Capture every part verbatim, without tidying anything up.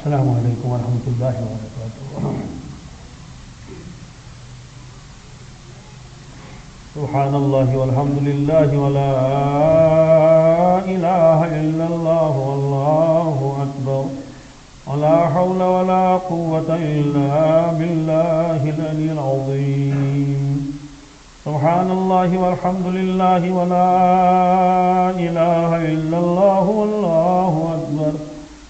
السلام عليكم ورحمة الله وبركاته. سبحان الله والحمد لله ولا إله إلا الله والله أكبر. ولا حول ولا قوة إلا بالله العلي العظيم. سبحان الله والحمد لله ولا إله إلا الله والله أكبر.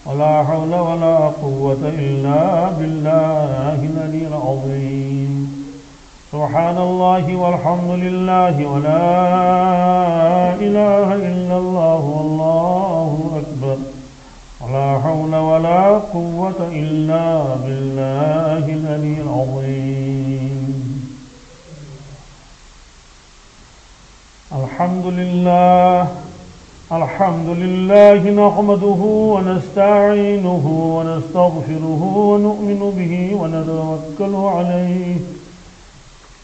ولا حول ولا قوة إلا بالله العلي العظيم. سبحان الله والحمد لله ولا إله إلا الله والله أكبر. ولا حول ولا قوة إلا بالله العلي العظيم. الحمد لله. الحمد لله نحمده ونستعينه ونستغفره ونؤمن به ونتوكل عليه.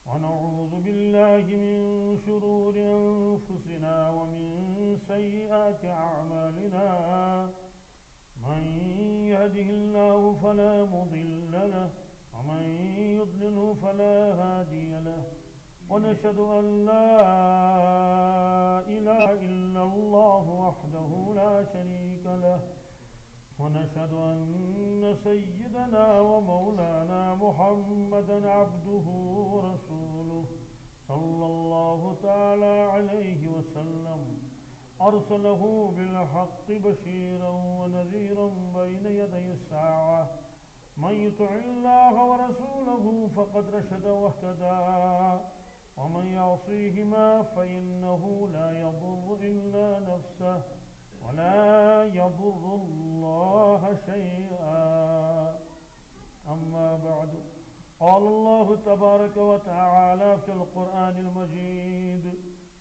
ونعوذ بالله من شرور أنفسنا ومن سيئات أعمالنا. من يهده الله فلا مضل له ومن يضلله فلا هادي له. ونشهد أن لا إله إلا الله وحده لا شريك له. ونشهد أن سيدنا ومولانا محمدا عبده ورسوله صلى الله تعالى عليه وسلم. أرسله بالحق بشيرا ونذيرا بين يدي الساعة. من يطع الله ورسوله فقد رشد واهتدى. ومن يعصيهما فإنه لا يضر إلا نفسه ولا يضر الله شيئا. أما بعد، قال الله تبارك وتعالى في القرآن المجيد: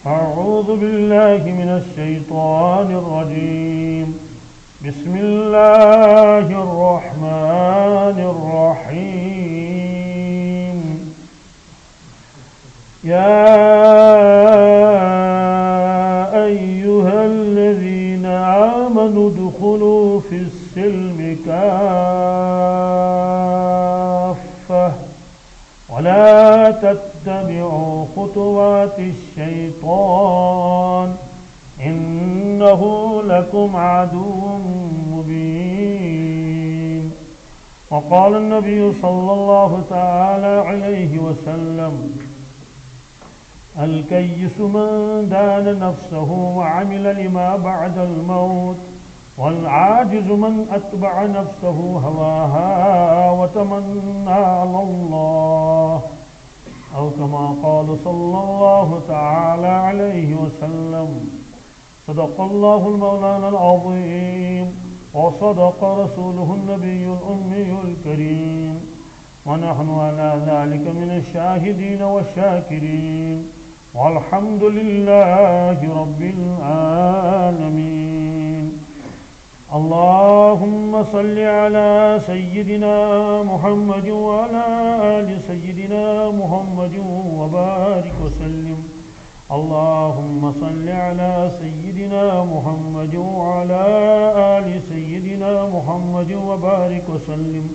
أعوذ بالله من الشيطان الرجيم. بسم الله الرحمن الرحيم. يا أيها الذين آمنوا ادخلوا في السلم كافة ولا تتبعوا خطوات الشيطان إنه لكم عدو مبين. وقال النبي صلى الله تعالى عليه وسلم: الكيس من دان نفسه وعمل لما بعد الموت، والعاجز من أتبع نفسه هواها وتمنى على الله، أو كما قال صلى الله تعالى عليه وسلم. صدق الله المولانا العظيم، وصدق رسوله النبي الأمي الكريم، ونحن على ذلك من الشاهدين والشاكرين، والحمد لله رب العالمين. اللهم صل على سيدنا محمد وعلى آل سيدنا محمد وبارك وسلم. اللهم صل على سيدنا محمد وعلى آل سيدنا محمد وبارك وسلم.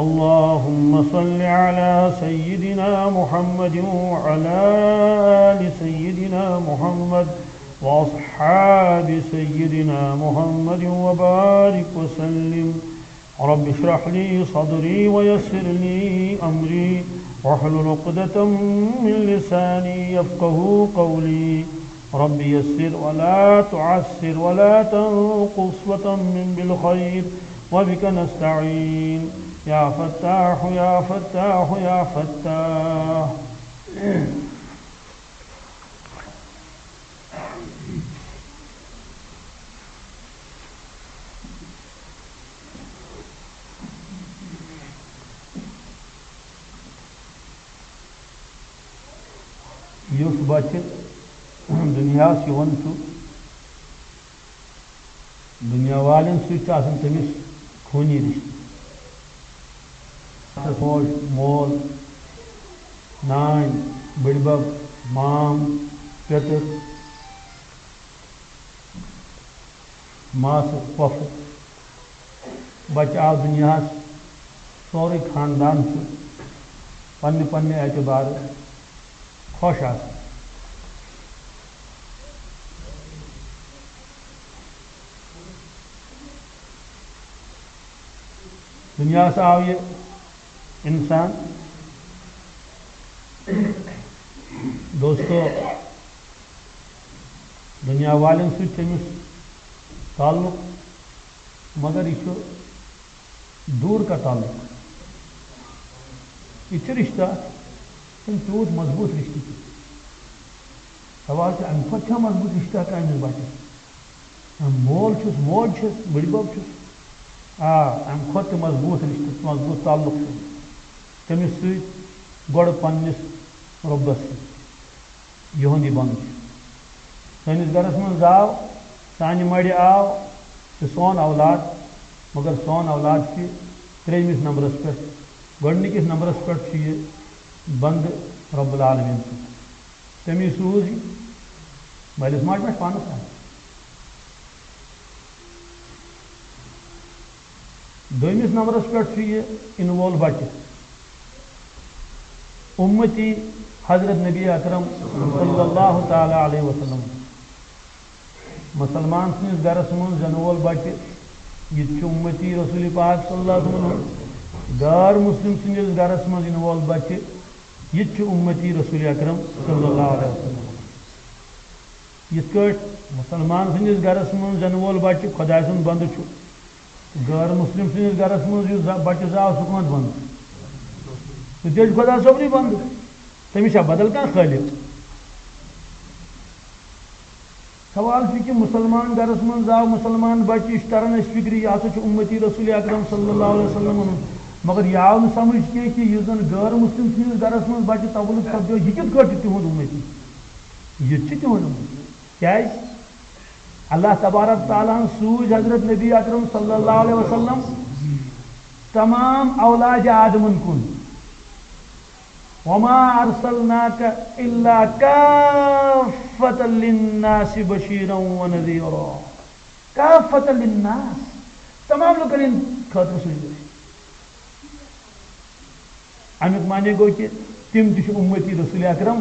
اللهم صل على سيدنا محمد وعلى آل سيدنا محمد وأصحاب سيدنا محمد وبارك وسلم. رب اشرح لي صدري ويسر لي أمري واحلل عقدة من لساني يفقه قولي. رب يسر ولا تعسر ولا تنقص وتمم بالخير وبك نستعين. يا فتاح يا فتاح يا فتاح. یُس بچہِ دُنیاہَس یِوان چھُ، دُنیا والٮ۪ن سۭتۍ چھُ آسان تٔمِس خوٗنی رِشتہٕ۔ موج، مول، نانۍ، بٕڈبب، مام، پیٚتٕر، ماسہٕ، پۄپھٕ۔ بچہٕ آو دُنیاہَس، سورُے خاندان چھُ پننہِ پننہِ اعتبارٕ خۄش آسان۔ دُنیاہَس آو یہِ اِنسان۔ دوستو، دُنیا والٮ۪ن سۭتۍ چھُ أمِس تعلق، مگر یہِ چھُ دوٗر کا تعلق۔ یہِ چھُ رِشتہٕ اکھ، چھُنہٕ تیوٗت مضبوٗط رِشتہٕ کینٛہہ۔ سوال چھُ، اَمہِ کھۄتہٕ چھا مضبوٗط رِشتہٕ ہٮ۪کان أمِس بچِتھ؟ اَمہِ مول چھُس، موج چھَس، بٕڈِبب چھُس۔ آ، اَمہِ کھۄتہٕ تہِ مضبوٗط رِشتہٕ، مضبوٗط تعلق چھُ تٔمِس سۭتۍ گۄڈٕ پننِس رۄبَس سۭتۍ۔ یِہُنٛد یہِ بنٛد چھُ۔ سٲنِس گرس منٛز زاو، سانہِ مَرِ آو، چھُ سون اولاد، مگر سون اولاد چھُ ترٛیٚیمِس نمبرس پٮ۪ٹھ۔ گۄڈٕنِکِس نمبرس پٮ۪ٹھ چھُ یہِ بنٛدٕ رب العالمین سُنٛد۔ تٔمی سوٗز یہِ۔ مٲلِس ماجہِ ما چھُ پانس تام؟ دوٚیمِس نمبرس پٮ۪ٹھ چھُ یہِ یِنہٕ وول بچہٕ، اُمتی حضرت نبی اکرم صلی اللہ تعالیٰ علیہ وسلم۔ مُسلمان سٕنٛدِس گرس منٛز زٮ۪نہٕ وول بچہٕ، یہِ تہِ چھُ اُمتی رسول پاک صلی اللہ علیہ وسلم۔ غٲر مُسلِم سٕنٛدِس گرس منٛز یِنہٕ وول بچہٕ، یہِ تہِ چھُ اُمتی رسول اکرم صلی اللہ علیہ وسلم۔ یِتھ کٲٹھۍ مُسلمان سٕنٛدِس گرس منٛز زٮ۪نہٕ وول بچہٕ خۄداے سُنٛد بنٛدٕ چھُ، غٲر مُسلِم سٕنٛدِس گرس منٛز یُس زا-، بچہٕ زاو، سُہ کُنٛد بنٛدٕ؟ سُہ تہِ چھُ خۄدا صٲبنٕے بنٛدٕ۔ تٔمِس چھا بدل کانٛہہ خٲلق؟ سوال چھُ کہِ مُسلمان گرس منٛز زاو مُسلمان بچہٕ، یہِ چھُ تران اَسہِ فِکرِ، یہِ ہسا چھُ اُمتی رسول اکرم صلی اللہ علیہ وسلم۔ مگر یہِ آو نہٕ سمجھ کینٛہہ کہِ یُس زن غٲر مُسلِم سٕنٛدِس گرس منٛز بچہٕ تولُد سپدیو، یہِ کِتھ کٲٹھۍ چھُ تِہُنٛد اُمتی؟ یہِ تہِ چھُ تِہُنٛد اُمتی۔ کیٛازِ؟ اللہ تبارک تعالیٰ ہن سوٗز حضرت نبی اکرم صلی اللہ علیہ وسلم تمام اولاد آدمن کُن۔ وما ارسلناک الا کافة للناس بشیرا ونذیرا۔ کافة للناس، تمام لُکن ہٕنٛدِ خٲطرٕ سوٗزمٕتۍ۔ اَمیُک معنی گوٚو کہِ تِم تہِ چھِ اُمتی رسول اکرم۔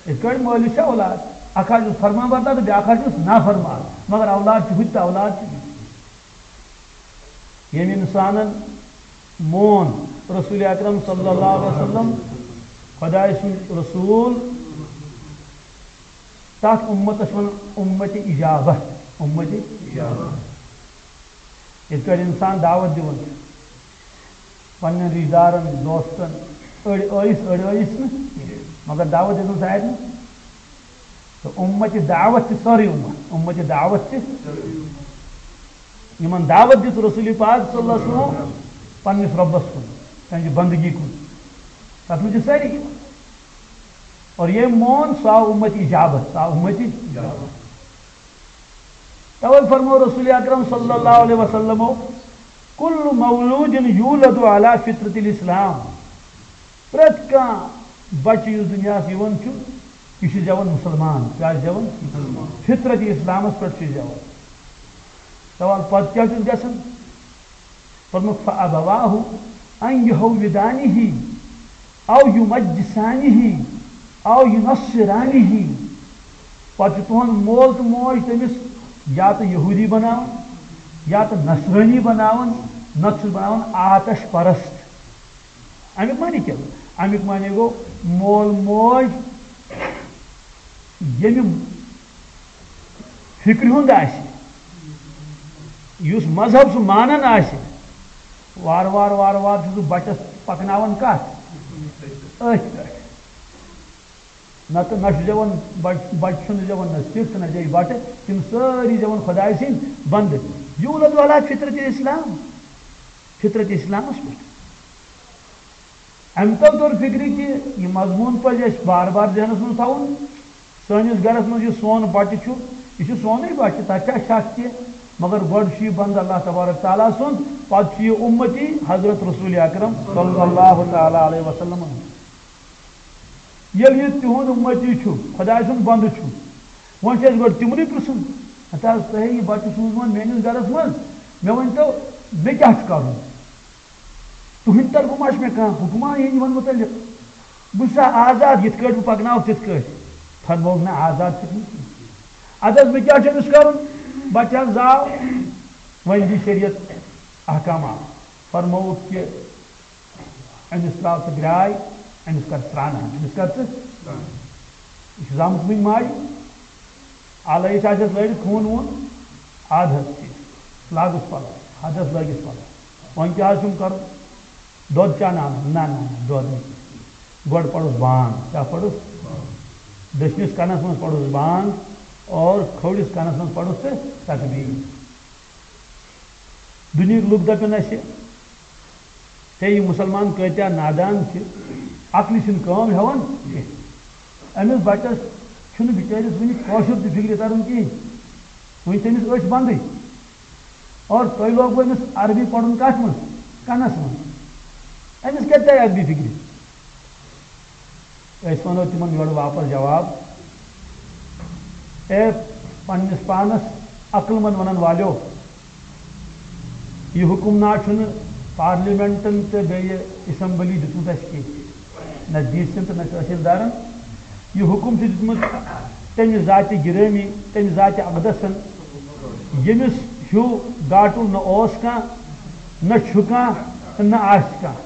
یِتھ کٲٹھۍ مٲلِس چھِ اولاد، اکھ حظ چھُس فرمان بردار تہٕ بیٛاکھ حظ چھُس نافرمان، مگر اولاد چھُ ہُتہِ تہٕ اولاد چھُ یِتہِ۔ ییٚمہِ اِنسانن مون رسول اکرم صلی اللہ علیہ وسلم، خۄداے سُنٛد رسول، تَتھ اُمتس چھِ وَنان اُمتِ اِجابہ، اُمتِ اِجابہ۔ یِتھ کٲٹھۍ اِنسان دعوت دِوان چھُ پننٮ۪ن رِشتہٕ دارن، دوستن، أڑۍ ٲیِس، أڑۍ ٲیِس نہٕ، مگر دعوت دِژٕن سارنٕے۔ تہٕ اُمتِ دعوت چھِ سٲرٕے اُمت، اُمتِ دعوت چھِ۔ یِمن دعوت دِژ رسول پاک صلی اللہ علیہ وسلم پننِس رۄبس کُن، تہنٛزِ بندگی کُن، تتھ منٛز چھِ سٲری یِوان۔ اور ییٚمۍ مون، سُہ آو اُمتِ اِجابت، سُہ آو اُمتِ اِجابت۔ توے فرمو رسول اکرم صلی اللہ علیہ وسلمو، "کل مولود یولد علی فطرت الاسلام"۔ پرٛٮ۪تھ کانٛہہ بچہٕ یُس دُنیاہَس یِوان چھُ، یہِ چھُ زٮ۪وان مُسلمان۔ کیٛاہ زٮ۪وان؟ فطرت اسلامس پٮ۪ٹھ چھُ زٮ۪وان۔ سوال، پتہٕ کیٛاہ چھُس گژھان؟ فرموو، "فَأَبَوَاهُ أَن يُهَوِّدَانِهِ أَوْ يُمَجِّسَانِهِ أَوْ يُنَصِّرَانِهِ۔" پتہٕ چھُ تُہُنٛد مول تہٕ موج تٔمِس یا تہٕ یہوٗدی بناوان، یا تہٕ نصرٲنی بناوان، نتہٕ چھُس بناوان آتش پرست۔ اَمیُک معنی کیٛاہ گوٚو؟ اَمیُک معنی گوٚو، مول موج ییٚمہِ فِکرِ ہُنٛد آسہِ، یُس مذہب سُہ مانان آسہِ، وارٕ وارٕ، وارٕ وارٕ چھُ سُہ بَچَس پَکناوان کَتھ؟ أتھۍ پٮ۪ٹھ۔ نَتہٕ نہ چھُ زٮ۪وان بَچ-، بَچہٕ چھُنہٕ زٮ۪وان نہ سِکھ تہٕ نہ زٮ۪وِ بَٹہٕ، تِم سٲری زٮ۪وان خۄداے سٕنٛدۍ بَندٕ۔ یولد علی فطرت اسلام، فطرت اسلامَس پٮ۪ٹھ۔ اَمہِ تَل توٚر فِکرِ کہِ یہِ مضموٗن پَزِ اَسہِ بار بار ذہنَس منٛز تھاوُن۔ سٲنِس گَرَس منٛز یُس سون بَچہٕ چھُ، یہِ چھُ سونُے بَچہٕ، تَتھ چھا شک کینٛہہ؟ مگر گۄڈٕ چھُ یہِ بنٛدٕ اللہ تبارک تعالیٰ سُنٛد، پَتہٕ چھُ یہِ اُمتی حضرت رسول اکرم صلی اللہ تعالیٰ علیہ وسلم۔ ییٚلہِ یہِ تِہُنٛد اُمتی چھُ، خۄداے سُنٛد بنٛدٕ چھُ، وۄنۍ چھُ اَسہِ گۄڈٕ تِمنٕے پرٛژھُن۔ ہتا حظ، تۄہہِ یہِ بَچہٕ سوٗزمُت میٛٲنِس گَرَس منٛز، مےٚ ؤنۍتو، مےٚ کیٛاہ چھُ کَرُن؟ تُہٕنٛدِ طرفہٕ ما چھُ مےٚ کانٛہہ حُکما یِہِنٛدِ یِمَن مُتعلِق؟ بہٕ چھُسا آزاد، یِتھ کٲٹھۍ بہٕ پَکناوَکھ تِتھ کٲٹھۍ؟ فرمووُکھ، نہ، آزاد چھُکھ نہٕ کِہیٖنۍ۔ اَدٕ حظ، مےٚ کیٛاہ چھُ أمِس کَرُن؟ بَچہٕ حظ زاو، وۄنۍ دی شریعت احکامات۔ فرمووُکھ کہِ أمِس ترٛاو ژٕ گرٛاے، أمِس کر سرٛان، أمِس کر ژٕ۔ یہِ چھُ زامُت وُنہِ ماجہِ۔ آلٲیِتھ آسٮ۪س لٲرِتھ خوٗن ووٗن، اَدٕ حظ ٹھیٖک۔ لاگُس پَلو، حدس لٲگِس پَلو۔ وۄنۍ کیٛاہ حظ چھُم کَرُن؟ دۄد چانہٕ اَنُن؟ نہ، نہ، نہ، دۄد نہٕ کینٛہہ۔ گۄڈٕ پَرُس بانگ۔ کیٛاہ پَرُس؟ دٔچھنِس کَنَس منٛز پَرُس بانگ اور کھوٚورِس کَنَس منٛز پَرُس تہٕ تکبیٖر۔ دُنیہٕکۍ لُکھ دَپن اَسہِ، ہے، یہِ مُسلمان کۭتیٛاہ نادان چھِ، عقلہِ چھِنہٕ کٲم ہٮ۪وان کینٛہہ۔ أمِس بَچَس چھُنہٕ بِچٲرِس وٕنہِ کٲشُر تہِ فِکرِ تَران کِہیٖنۍ، وٕنہِ چھِ أمِس أچھ بنٛدٕے۔ اور تۄہہِ لوگوُ أمِس عربی پَرُن کَتھ منٛز؟ کَنَس منٛز۔ أمِس کَتہِ تَرِ عربی فِکرِ؟ أسۍ وَنو تِمَن یورٕ واپَس جواب، اے پنٛنِس پانَس عقل مند وَنَن والیو، یہِ حُکُم نا چھُنہٕ پارلیمنٹَن تہٕ بیٚیہِ اسمبلی دیُتمُت اَسہِ کینٛہہ، نہ ڈی سیَن تہٕ نہ تحصیلدارَن۔ یہِ حُکُم چھُ دیُتمُت تَمہِ ذاتِ گِرٲمی، تَمہِ ذاتِ اقدسَن، ییٚمِس ہیوٗ گاٹُل نہ اوس کانٛہہ، نہ چھُ کانٛہہ تہٕ نہ آسہِ کانٛہہ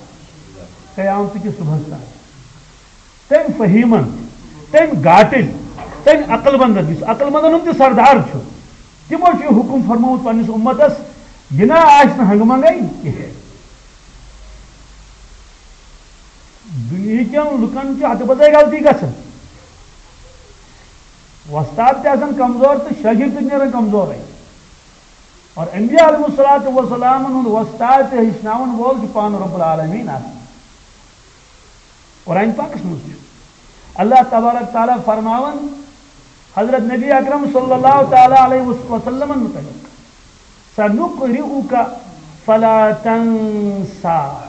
قیامتہٕ کِس صُبحَس تام۔ تٔمۍ فہیٖمن، تٔمۍ گاٹٕلۍ، تٔمۍ عقل مندن، یُس عقل مندن ہُنٛد تہِ سردار چھُ، تِمو چھُ یہِ حُکُم فرمومُت پننِس اُمتس، یہِ نہ آسہِ نہٕ ہنگہٕ منگے کینٛہہ۔ دُنیہکٮ۪ن لُکن چھِ ہتہٕ بزٲے غلطی گژھان۔ وۄستاد تہِ آسان کمزور تہٕ شٲگرد تہِ نیران کمزورے۔ اور انبیاء علیہ الصلوۃ والسلامن ہُنٛد وۄستاد تہٕ ہیٚچھناون وول چھُ پانہٕ رب العالمین آسان۔ قرآن پاکس منٛز چھُ اللہ تبارک تعالیٰ فرماوان حضرت نبی اکرم صلی اللہ تعالیٰ علیہ وسلمن متعلق، "سنقرئک فلا تنسیٰ۔"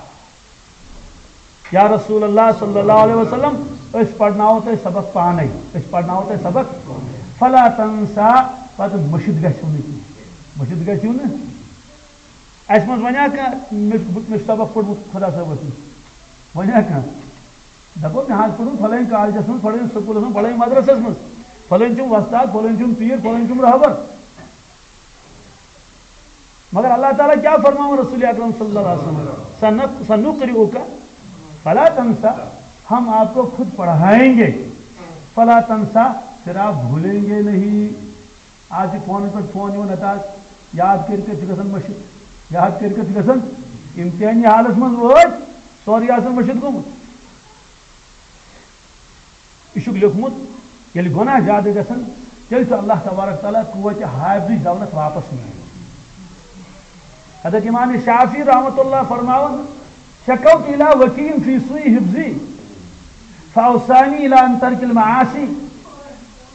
یا رسول اللہ صلی اللہ علیہ وسلم، أسۍ پرناوو تۄہہِ سبق پانے، أسۍ پرناوو تۄہہِ سبق، فلا تنسیٰ، پتہٕ مٔشِتھ گژھِو نہٕ کینٛہہ، مٔشِتھ گژھِو نہٕ۔ اَسہِ منٛز وَنیا کانٛہہ، مےٚ چھُ، مےٚ چھُ سبق پوٚرمُت خۄدا صٲبَس نِش؟ وَنیا کانٛہہ؟ دَپو، مےٚ حظ پوٚرمُت فلٲنۍ کالجَس منٛز، فلٲنۍ سکوٗلَس منٛز، فلٲنۍ مدرسَس منٛز، فلٲنۍ چھُم وۄستاد، فلٲنۍ چھُم پیٖر، فلٲنۍ چھُم رہبر۔ مگر اللہ تعالیٰ کیٛاہ فرماوان رسول اکرم صلی اللہ علیہ وسلم؟ سنق-، سنقرئک فلا تنسیٰ، ہم آپ کو خود پڑھائیں گے، فلا تنسیٰ، پھر آپ بھولیں گے نہیں۔ آز چھِ فونَس پٮ۪ٹھ فون یِوان، نَتہٕ آز یاد کٔرِتھ چھِ گژھان مٔشِتھ، یاد کٔرِتھ چھِ گژھان، امتحٲنی حالَس منٛز وٲتۍ، سورُے آسان مٔشِتھ گوٚمُت۔ یہِ چھُکھ لیوٚکھمُت، ییٚلہِ گۄناہ زیادٕ گژھن، تیٚلہِ چھُ اللہ تبارک تعالیٰ قوتِ حافظٕچ دولت واپس نِوان۔ حضرت امام شافعی رحمۃ اللہ فرماوان، "شکوت الی وکیع فی سوء حفظی فاوصانی الی ان ترک المعاصی۔"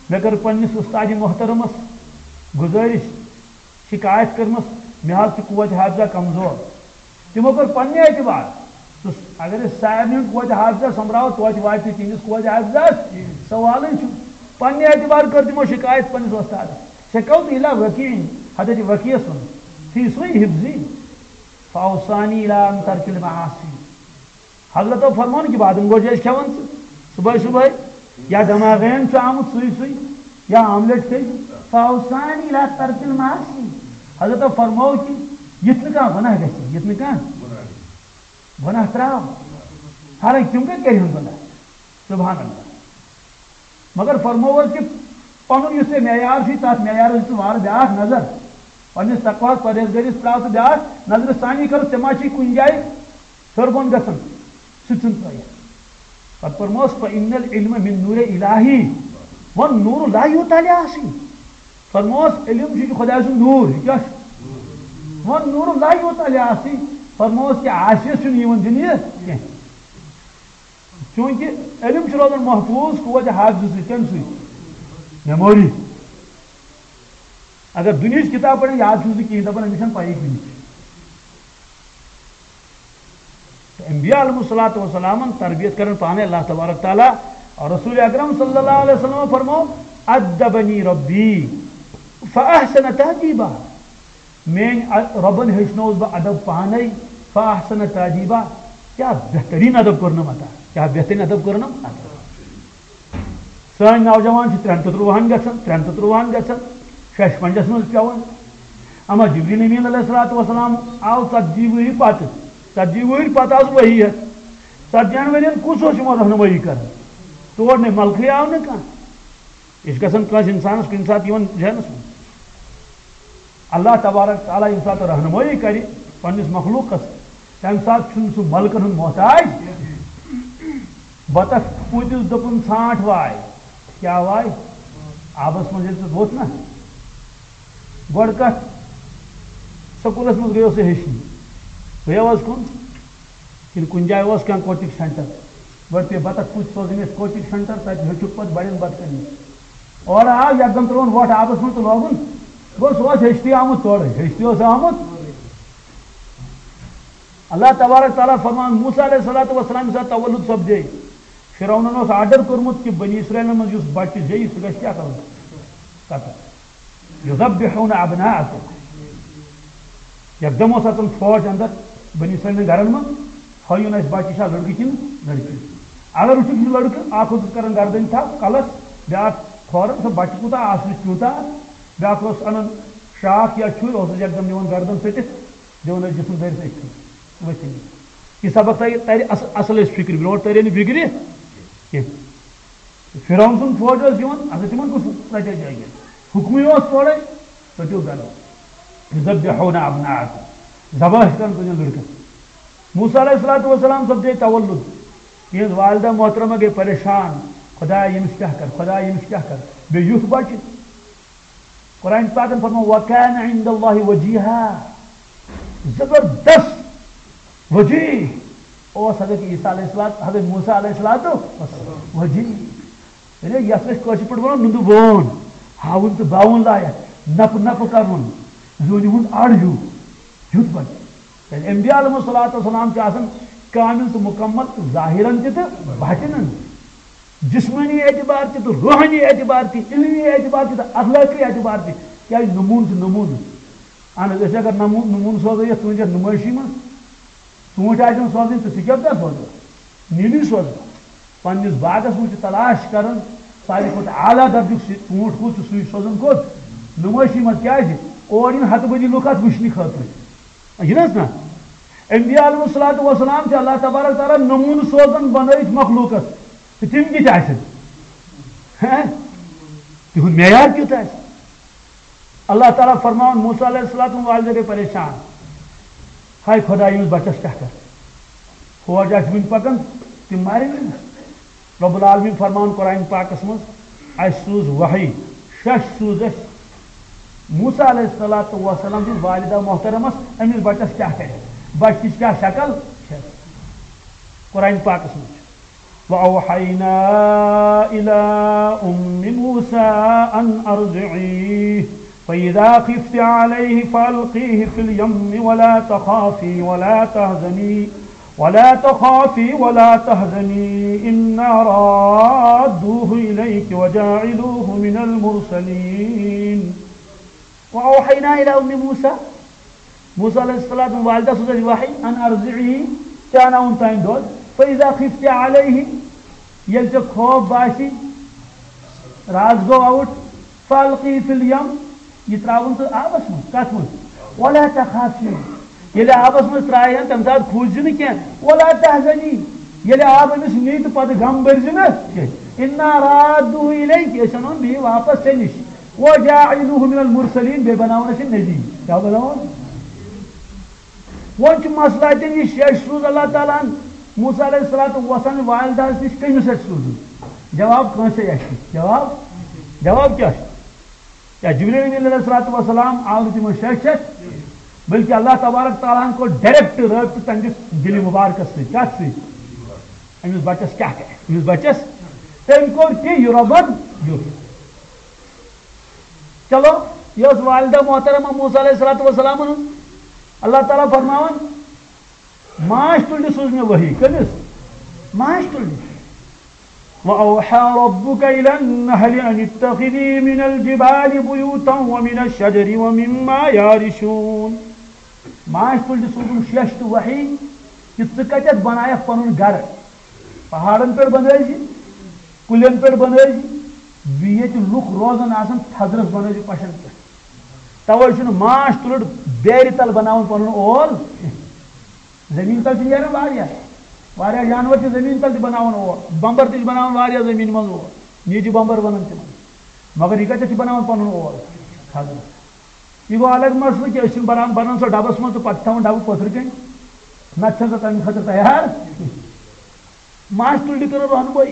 مےٚ کٔر پننِس استاد محترمس گزٲرش، شکایت کٔرمٕژ، مےٚ حظ چھُ قوت حافظہ کمزور۔ تِمو کٔر پننہِ اعتبار، تہٕ اگر أسۍ سارنٕے ہُنٛد قوت حافظہ سۄمبراوو، توتہِ واتہِ نہٕ تِہنٛدِس قوت حافظس۔ سوالٕے چھُ۔ پننہِ اعتبار کٔر تِمو شکایت پننِس وۄستادس۔ شکوت الی وکیع، حضرت وکیعس ووٚن، فی سوء حفظی فاوصانی الی ان ترک المعاصی۔ حضرتو فرموو نہٕ کہِ بادم گوجہِ ٲسۍ کھٮ۪وان ژٕ صبحٲے صبحٲے، یا دماغین چھُ آمُت سُے سُے، یا آملیٹ کھے، فاوصانی الی ترک المعاصی۔ حضرتو فرموو کہِ یِتھ نہٕ کانٛہہ گۄناہ گژھِ، یِتھ نہٕ کانٛہہ گۄناہ ترٛاو۔ حالانکہِ تِم کَتہِ کَرِہَن گۄناہ؟ سبحان اللہ۔ مگر فرموو حظ کہِ پنُن یُس ژےٚ معیار چھُے، تَتھ معیارَس دِ ژٕ وارٕ بیٛاکھ نظر۔ پننِس تقواہَس، پرہیزگٲری ترٛاو ژٕ بیٛاکھ نظرِ ثانی، کَرُس ژےٚ ما چھُے کُنہِ جایہِ ہیوٚر بۄن گژھان، سُہ تہِ چھُنہٕ ترٛٲیِتھ۔ پَتہٕ فرموس، "فإن العلم من نور الہی، والنور لا یوتیٰ لعاصی۔" فرموس، علم چھُ، یہِ چھُ خۄداے سُنٛد نوٗر، یہِ کیٛاہ چھُ؟ "والنور لا یوتیٰ لعاصی۔" فرموس کہِ عاصیَس چھُنہٕ یِوان دِنہٕ یہِ کینٛہہ۔ چوٗنٛکہِ علم چھُ روزان محفوٗظ قوتِ حافظہٕ سۭتۍ، کَمہِ سۭتۍ؟ میموری۔ اگر دُنیہٕچ کِتاب پَرن، یاد چھُس نہٕ کِہیٖنۍ، دَپان، أمِس چھَنہٕ پَیی کُنہِ۔ تہٕ انبیاء علیہم الصلوۃ والسلامن تربیت کرن پانے اللہ تبارک تعالیٰ۔ اور رسول اکرم صلی اللہ علیہ وسلم فرمو، "ادبنی ربی فاحسن تادیبہ، میٲنۍ ا-، رۄبن ہیٚچھنووُس بہٕ ادب پانے۔ فاحسن تادیبہ، کیٛاہ بہتریٖن ادب کوٚرنم عطا، کیٛاہ بہتریٖن ادب کوٚرنم عطا۔ سٲنۍ نوجوان چھِ ترٛٮ۪ن تہٕ ترٛوہن گژھان، ترٛٮ۪ن تہٕ ترٛوہن گژھان، ششپنجس منٛز پٮ۪وان۔ اما جبریل امین علیہ الصلوۃ والسلام آو ژتجی ؤہرۍ پتہٕ، ژتجی ؤہرۍ پتہٕ آو سُہ وحی ہٮ۪تھ۔ ژتجی ہن ؤرین کُس اوس یِمن رہنمٲیی کران؟ تور نے ملکٕے آو نہٕ کانٛہہ۔ یہِ چھُ گژھان کٲنٛسہِ اِنسانَس کُنہِ ساتہٕ یِوان ذہنَس منٛز۔ اللہ تبارک تعالیٰ ییٚمہِ ساتہٕ رہنمٲیی کَرِ پنٛنِس مخلوٗقَس، تَمہِ ساتہٕ چھُنہٕ سُہ ملکَن ہُنٛد محتاج۔ بَتَس پوٗتِس دوٚپُن، "ژھانٛٹھ واے۔" کیٛاہ واے؟ آبَس منٛز ییٚلہِ سُہ ووٚتھ نہ، گۄڈٕ کَتھ، سکوٗلَس منٛز گٔیو سُہ ہیٚچھنہِ، گٔیو حظ کُن؟ کِنہٕ کُنہِ جایہِ اوس کانٛہہ کوچنگ سینٹر؟ گۄڈٕ پیٚیہِ بطخ پوٗتۍ سوزٕنۍ اَسہِ کوچنگ سینٹر، تَتہِ ہیوٚچھُکھ پَتہٕ بَڑٮ۪ن بَتہٕ کَنہِ۔ اورٕ آو، یَکدَم ترٛووُن وۄٹھ آبَس منٛز تہٕ لوگُن۔ گوٚو، سُہ اوس ہیٚچھتھٕے آمُت تورٕ، ہیٚچھتھٕے اوس آمُت۔ اللہ تبارک تعالیٰ فرمان، موسیٰ علیہ الصلوۃ والسلام ساتہٕ تولد سپدے، فرعونن اوس آرڈر کوٚرمُت کہِ بنی اسرائیلن منٛز یُس بچہِ زیٚیہِ، سُہ گژھِ کیٛاہ کَرُن؟ قتل۔ یذبحون ابناءکم۔ یکدم اوس اژان فوج اندر بنی اسرائیلن گرن منٛز، ہٲیُن اَسہِ بچہِ چھا لڑکہٕ کِنہٕ لڑکی۔ اگر وٕچھُکھ یہِ لڑکہٕ، اکھ اوسُس کران گردن تھپھ کلس، بیاکھ کھورن، سُہ بچہِ کوٗتاہ آسنٕچ تیوٗتاہ۔ بیاکھ اوس انان شاکھ یا چھُرۍ، اوسُس یکدم نِوان گردن ژٔٹِتھ، دِوان ٲسۍ جسم دٲرِتھ أتھۍ کِنۍ، ؤتھِتھ۔ یہِ سبق ترِ، ترِ اص-، اصل ٲسۍ فکرِ، برونٛٹھ ترِ نہٕ فکرِ کینٛہہ۔ فرعون سُنٛد فوج اوس یِوان، اگر تِمن کُس رٹہِ جایہِ؟ حکمٕے اوس تورے، ژٔٹِو گرو۔ یذبحون ابناءکم، ذبح چھِ کران تُہنٛدٮ۪ن لڑکن۔ موسیٰ علیہ الصلوۃ والسلام سپدے تولد، تِہنٛز والدہ محترمہ گٔے پریشان، خدایا ییٚمِس کیٛاہ کر، خدایا ییٚمِس کیٛاہ کر، بیٚیہِ یُتھ بچہِ۔ قرآن پاکن فرموو، "وکان عند اللہ وجیہا"، زبردست وجیہ اوس حضرت عیسیٰ علیہ السلام، حضرت موسیٰ علیہ السلام وجیہ۔ یعنی یتھ أسۍ کٲشِر پٲٹھۍ ونو نُنٛدٕ وون، ہاوُن تہٕ باوُن لایق، نپہٕ نپہٕ کرُن، زوٗنہِ ہُنٛد اَڑ ہیوٗ، یُتھ بچہِ۔ کیٛازِ انبیاء علیہم الصلوۃ والسلام چھِ آسان کامل تہٕ مکمل، ظاہرن تہِ تہٕ باطنن۔ جسمٲنی اعتبار تہِ تہٕ روحٲنی اعتبار تہِ، علمی اعتبار تہِ تہٕ اخلٲقی اعتبار تہِ۔ کیٛازِ نموٗنہٕ چھُ نموٗنہٕ۔ اہن حظ، أسۍ اگر نموٗنہٕ، نموٗنہٕ سوزو یتھ ژوٗنٛٹھٮ۪ن نُمٲیشی منٛز، ژوٗنٛٹھۍ آسن سوزٕنۍ تہٕ ژٕ کیٛاہ کر سوزکھ؟ نیٖلی سوزکھ۔ پننِس باغس منٛز چھِ تلاش کران ساروی کھۄتہٕ اعلیٰ درجُک سُہ ژوٗنٛٹھ کُس چھُ، سُے سوزُن کوٚت؟ نُمٲیشی منٛز۔ کیٛازِ؟ اور یِن ہتہٕ بٔدی لُکھ اتھ وٕچھنہٕ خٲطرٕ۔ یہِ نہ حظ نہ؟ انبیاء علیہم الصلوۃ والسلام چھِ اللہ تبارک تعالیٰ نموٗنہٕ سوزان بنٲوِتھ مخلوٗقس۔ تہٕ تِم کِتھ آسن؟ ہہ؟ تِہُنٛد معیار کیُتھ آسہِ؟ اللہ تعالیٰ فرماوان، موسیٰ علیہ السلام والدہ گٔے پریشان۔ ہاے خدا، ییٚمِس بچس کیٛاہ کر؟ فوج آسہِ وُنہِ پکان، تِم مارن أمِس۔ رب العالمین فرماوان قرآن پاکس منٛز، "اَسہِ سوٗز وحی، شش سوٗز اَسہِ موسیٰ علیہ الصلوۃ والسلام سٕنٛز والدہ محترمس، أمِس بچس کیٛاہ کرِ؟ بچہِ کِژھ کیٛاہ شکل چھےٚ؟" قرآن پاکس منٛز چھُ، "وأوحينا إلى أم موسى أن أرضعيه فإذا خفت عليه فألقيه في اليم ولا تخافي ولا تحزني ولا تخافي ولا تحزني إنا رادوه إليك وجاعلوه من المرسلين." وأوحينا إلى أم موسى، موسیٰ علیہ السلام والدہ سوز اَسہِ وحی، "أن أرضعيه"، ژےٚ اَناوُن تام دۄد، "فإذا خفت عليه"، ییٚلہِ ژےٚ خوف باسہِ، راز گوٚو آوُٹ، "فألقيه في اليم"، یہِ ترٛاوُن ژٕ آبس منٛز۔ کتھ منٛز؟ "ولا تخافي"، ییٚلہِ آبس منٛز ترٛایہِ ہن، تمہِ ساتہٕ کھوٗژ زِ نہٕ کینٛہہ۔ "ولا تحزني"، ییٚلہِ آب أمِس نی تہٕ پتہٕ غم بٔرۍ زِ نہٕ کینٛہہ۔ "إنا رادوه إليك"، أسۍ اَنون بیٚیہِ واپس ژےٚ نِش۔ "وجاعلوه من المرسلين"، بیٚیہِ بناوون أسۍ یہِ نبی۔ کیٛاہ بناوون؟ وۄنۍ چھُ مسئلہ اَتٮ۪ن یہِ، شیٚچھ سوٗز اللہ تعالیٰ ہن موسیٰ علیہ الصلوۃ والسلام والدہس نِش کٔمِس اَتھِ سوٗزُن؟ جواب کٲنٛسے اَسہِ نِش۔ جواب، جواب کیٛاہ چھُ؟ یا جبریل امین علیہ الصلوۃ والسلام آو نہٕ تِمن شیٚچھ ہٮ۪تھ، بلکہ اللہ تبارک تعالیٰ ہن کوٚر ڈائریکٹ رٲبطہٕ تہنٛدِس دِلہِ مبارکس سۭتۍ۔ کتھ سۭتۍ؟ أمِس بچس کیٛاہ کرِ؟ أمِس بچس، تٔمۍ کوٚر تہِ یہِ رۄبن یُتھ۔ چلو، یہِ ٲس والدہ محترمہ موسیٰ علیہ الصلوۃ والسلام ہٕنٛز۔ اللہ تعالیٰ فرماوان، ماچھ تُلنہِ سوٗز مےٚ وحی۔ کٔمِس؟ ماچھ تُلنہِ۔ وأوحى ربك إلى النحل أن اتخذي من الجبال بيوتا ومن الشجر ومما يعرشون۔ ماچھ تُلرِ سوٗزُن شیٚچھ تہٕ وحی کہِ ژٕ کَتٮ۪تھ بَنایَکھ پَنُن گَرٕ؟ پہاڑَن پٮ۪ٹھ بَنٲوزِ، کُلٮ۪ن پٮ۪ٹھ بَنٲوزِ، بیٚیہِ ییٚتہِ لُکھ روزان آسَن تھزرَس بَنٲوزِ پَشَن پٮ۪ٹھ۔ تَوَے چھُنہٕ ماچھ تُلُر بیرِ تَل بَناوُن پَنُن اول کینٛہہ۔ زٔمیٖن تَل چھِ نیران واریاہ، واریاہ جانوَر چھِ زٔمیٖن تَل تہِ بَناوان اول، بَمبَر تہِ چھِ بَناوان واریاہ زٔمیٖن منٛز اول، نیٖجہِ بَمبَر وَنان تِمَن۔ مگر یہِ کَتٮ۪تھ چھِ بَناوان پَنُن اول؟ تھزرَس۔ یہِ گوٚو الگ مسلہٕ کہِ أسۍ چھِنہٕ بَناوان، بَنان سۄ ڈَبَس منٛز تہٕ پَتہٕ چھِ تھاوان ڈَبہٕ پٔتھرِ کَنۍ، نَتہٕ چھَنہٕ سۄ تَمہِ خٲطرٕ تیار۔ ماچھ تُلرِ کٔرٕن رہنمٲیی۔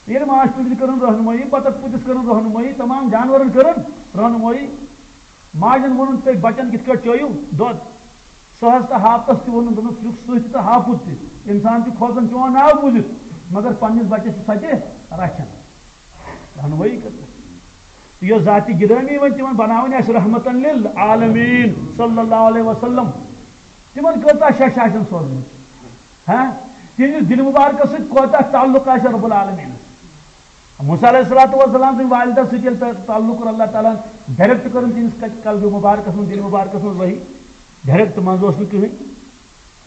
ییٚلہِ ماچھ تُلرِ کٔرٕن رہنمٲیی، بطخ پوٗتِس کٔرٕن رہنمٲیی، تمام جانوَرَن کٔرٕن رہنمٲیی۔ ماجَن ووٚنُن، تُہۍ بَچَن کِتھ کٲٹھۍ چٲیِو دۄد؟ سٕہَس تہٕ ہاپتَس تہِ ووٚنُن، دوٚپُن، ژٕ چھُکھ سٕہہ تہِ تہٕ ہاپُت تہِ۔ اِنسان چھُ کھوژان چون ناو بوٗزِتھ، مگر پنٛنِس بَچَس چھُ سۄ تہِ رَچھان۔ رہنمٲیی کٔر۔ یۄس ذاتِ گرامی وۄنۍ تِمن بناوٕنۍ آسہِ رحمتن للعالمین صلی اللہ علیہ وسلم، تِمن کۭژاہ شش آسن سوزمٕژ؟ ہاں، تِہنٛدِس دِلہِ مُبارکس سۭتۍ کوتاہ تعلق آسہِ رب العالمینس؟ موسیٰ علیہ الصلوۃ والسلام سٕنٛدِ والدہ سۭتۍ ییٚلہِ تہ-، تعلق کوٚر اللہ تعالیٰ ہن، ڈائریکٹ کٔرٕن تِہنٛدِس ک-، قلبِ مُبارکس منٛز، دِلہِ مُبارکس منٛز وحی، ڈائریکٹ منٛز اوس نہٕ کٕہٕنۍ۔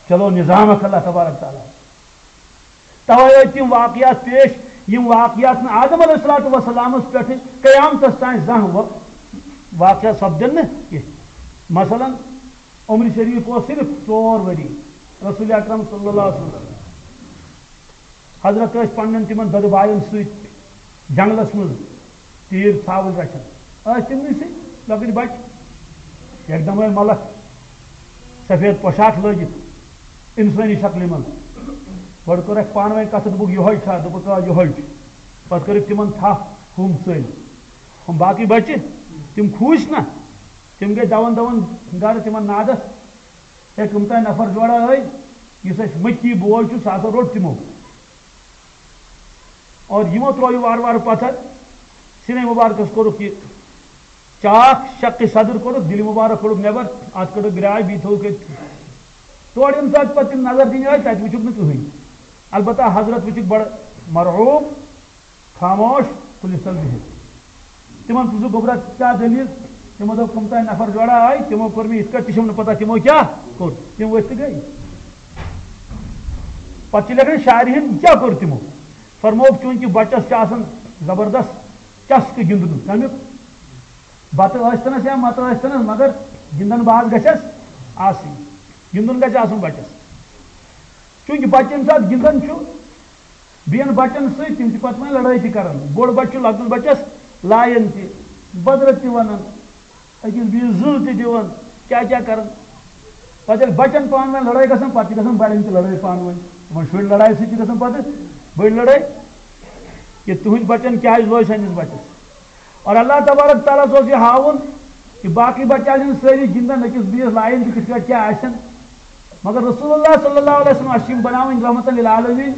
چلو، نظام اکھ اللہ تبارک تعالیٰ۔ توے ٲسۍ تِم واقعات پیش، یِم واقعات نہٕ آدم علیہ الصلوۃ والسلامس پٮ۪ٹھٕ قیامتس تام زانٛہہ وا-، واقعہ سپدن نہٕ کینٛہہ۔ مثلاً، عمر شریف اوس صرف ژور ؤری، رسول اکرم صلی اللہ علیہ وسلم حضرت ٲسۍ پننٮ۪ن تِمن دۄدٕ باین سۭتۍ جنگلس منٛز تیٖر ژھاوٕج رچھان۔ ٲسۍ تِمنٕے سۭتۍ لۄکٕٹۍ بچہٕ، یکدم آے ملک سفید پوشاک لٲگِتھ انسٲنی شکلہِ منٛز۔ گۄڈٕ کوٚرکھ پانہٕ ؤنۍ کتھ، دوٚپُکھ، "یِہوٚے چھا؟" دوٚپُکھ، "آ، یِہوٚے چھُ۔" پتہٕ کٔرٕکھ تِمن تھپھ، ہُم ژٔلۍ۔ ہُم باقٕے بچہٕ، تِم کھوٗژۍ نہ، تِم گٔے دون دون گرٕ تِمن نادس۔ ہے، کٕم تام نفر جوڑا ٲے، یُس اَسہِ مٔکی بوے چھُ، سُہ ہسا روٚٹ تِمو۔ اور یِمو ترٛوو یہِ وارٕ وارٕ پتھر، سینے مبارکس کوٚرُکھ یہِ چاکھ، شق صدر کوٚرُکھ، دِلہِ مبارک کوٚڑُکھ نٮ۪بر، اَتھ کٔڑٕکھ گرٛاے، بیٚیہِ تھوٚوُکھ ییٚتہِ۔ تورٕ ییٚمہِ ساتہٕ پتہٕ تِم نظر دِنہِ ٲسۍ، تَتہِ وُچھُکھ نہٕ کٕہٕنۍ۔ البتہ حضرت وُچھُکھ بڑٕ مرعوب، خاموش، کُلِس تل بِہِتھ۔ تِمن پرٛژھُکھ، "گوٚبرا، کیٛاہ دٔلیٖل؟" تِمو دوٚپ، "کٕم تام نفر جوڑا آے، تِمو کوٚر مےٚ یِتھ کٲٹھۍ، تہِ چھُم نہٕ پتہ تِمو کیٛاہ کوٚر۔" تِم ؤتھۍ تہٕ گٔے۔ پتہٕ چھِ لیکھان، شارحین کیٛاہ کوٚر تِمو؟ فرمووُکھ، چوٗنٛکہِ بچس چھُ آسان زبردست چسکہٕ گِنٛدنُک، کمیُک؟ بتہٕ ٲسۍتنس یا متہٕ ٲسۍتنس، مگر گِنٛدن باز گژھٮ۪س آسٕنۍ، گِنٛدُن گژھِ آسُن بچس۔ چوٗنٛکہِ بچہٕ ییٚمہِ ساتہٕ گِنٛدان چھُ، بیٚین بچن سۭتۍ، تِم چھِ پتہٕ وۄنۍ لڑٲے تہِ کران۔ بوٚڑ بچہٕ چھُ لۄکٹِس بچس لایان تہِ، بدرت تہِ ونان، أکِس بیٚیِس زٕز تہِ دِوان، کیٛاہ کیٛاہ کران۔ پتہٕ ییٚلہِ بچن پانہٕ ؤنۍ لڑٲے گژھان، پتہٕ چھِ گژھان بڑٮ۪ن تہِ لڑٲے پانہٕ ؤنۍ۔ تِمن شُرۍ لڑایہِ سۭتۍ چھِ گژھان پتہٕ بٔڑۍ لڑٲے، کہِ تُہنٛدۍ بچن کیٛازِ لوے سٲنِس بچس۔ اور اللہ تبارک تعالیٰ ہس اوس یہِ ہاوُن کہِ باقٕے بچہٕ آسن سٲری گِنٛدان، أکِس بیٚیِس لایان تہِ کِتھ پٲٹھۍ کیٛاہ آسن۔ مگر رسول اللہ صلی اللہ علیہ وسلم، اَسہِ چھِ یِم بناوٕنۍ رحمتن للعالمین۔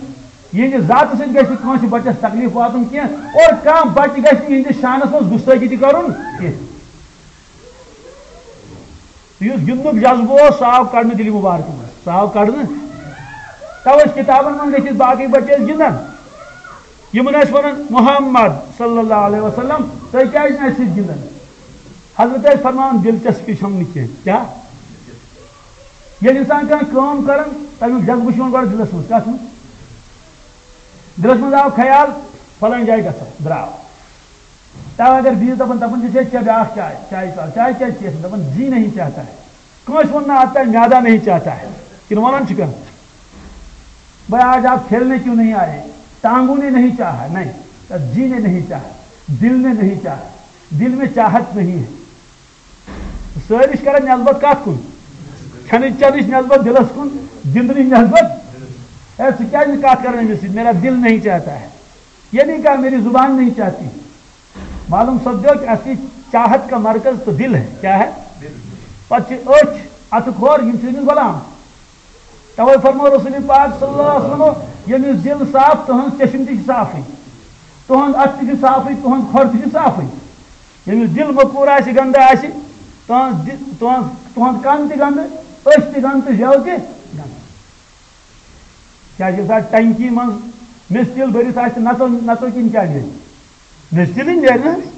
یِہنٛدِ ذاتہٕ سۭتۍ گژھِ نہٕ کٲنٛسہِ بچس تکلیف واتُن کینٛہہ، اور کانٛہہ بچہٕ گژھِ نہٕ یِہنٛدِس شانس منٛز گُستٲخی تہِ کرُن کینٛہہ۔ یُس گِنٛدنُک جذبہٕ اوس، سُہ آو کڑنہٕ دِلہِ مُبارکہٕ منٛز، سُہ آو کڑنہٕ۔ توے چھِ کِتابن منٛز لیکھِتھ، باقٕے بچہٕ ٲسۍ گِنٛدان، یِمن ٲسۍ ونان، "محمد صلی اللہ علیہ وسلم، تُہۍ کیٛازِ نہٕ اَسہِ سۭتۍ گِنٛدان؟" حضرت ٲسۍ فرماوان، "دلچسپی چھم نہٕ کینٛہہ۔" کیٛاہ؟ ییٚلہِ انسان کانٛہہ کٲم کران، تمیُک جذبہٕ چھُ یِوان گۄڈٕ دِلس منٛز۔ کتھ منٛز؟ دِلس منٛز آو خیال، فلٲنۍ جایہِ گژھو، درٛاو۔ تَوَے اگر بیٚیِس دَپان، دَپان چھِ، "چےٚ بیٛاکھ چاے، چاے پِیالہٕ، چاے کیٛازِ چیٚیَکھ نہٕ؟" دَپان، "جی نہیں چاہتا ہے۔" کٲنٛسہِ ووٚن نہٕ، "آتا ہے، میادہ نہیں چاہتا ہے۔" کِنہٕ وَنان چھِ کانٛہہ، "بھائی، آج آپ کھیلنے کیوں نہیں آئے؟ ٹانگوں نے نہیں چاہا، نہیں، جی نے نہیں چاہا، دل نے نہیں چاہا، دل میں چاہت نہیں ہے۔" سٲری چھِ کران نٮ۪سبت کَتھ کُن؟ کھٮ۪نٕچ چٮ۪نٕچ نٮ۪سبت دِلَس کُن، گِنٛدنٕچ نٮ۪سبت۔ ہے، ژٕ کیٛازِ نہٕ کَتھ کران أمِس سۭتۍ؟ میرا دل نہیں چاہتا ہے۔ یہ نہیں کہا، میری زبان نہیں چاہتی۔ معلوم سپدیو کہ اصلی چاہت کا مرکز تو دل ہے۔ کیا ہے؟ پتہٕ چھِ أچھ، اَتھٕ کھۄر، یِم چھِ أمِس غلام۔ توے فرمو رسول پاک صلی اللہ علیہ وسلم، ییٚمِس دل صاف، تُہنٛز چشم تہِ چھِ صافٕے، تُہنٛد اَتھٕ تہِ چھِ صافٕے، تُہنٛد کھۄر تہِ چھِ صافٕے۔ ییٚمِس دل مکوٗر آسہِ، گنٛدٕ آسہِ، تُہنٛز دِ-، تُہنٛز، تُہنٛد کن تہِ گنٛدٕ، أچھ تہِ گنٛدٕ تہٕ زٮ۪و تہِ گنٛدٕ۔ کیٛازِ ییٚمہِ ساتہٕ ٹنکی منٛز مِستِل بٔرِتھ آسہِ، نَژو نَژو کِنہٕ کیٛاہ نیرِ؟ مِستِلٕے نیرِ نہ حظ۔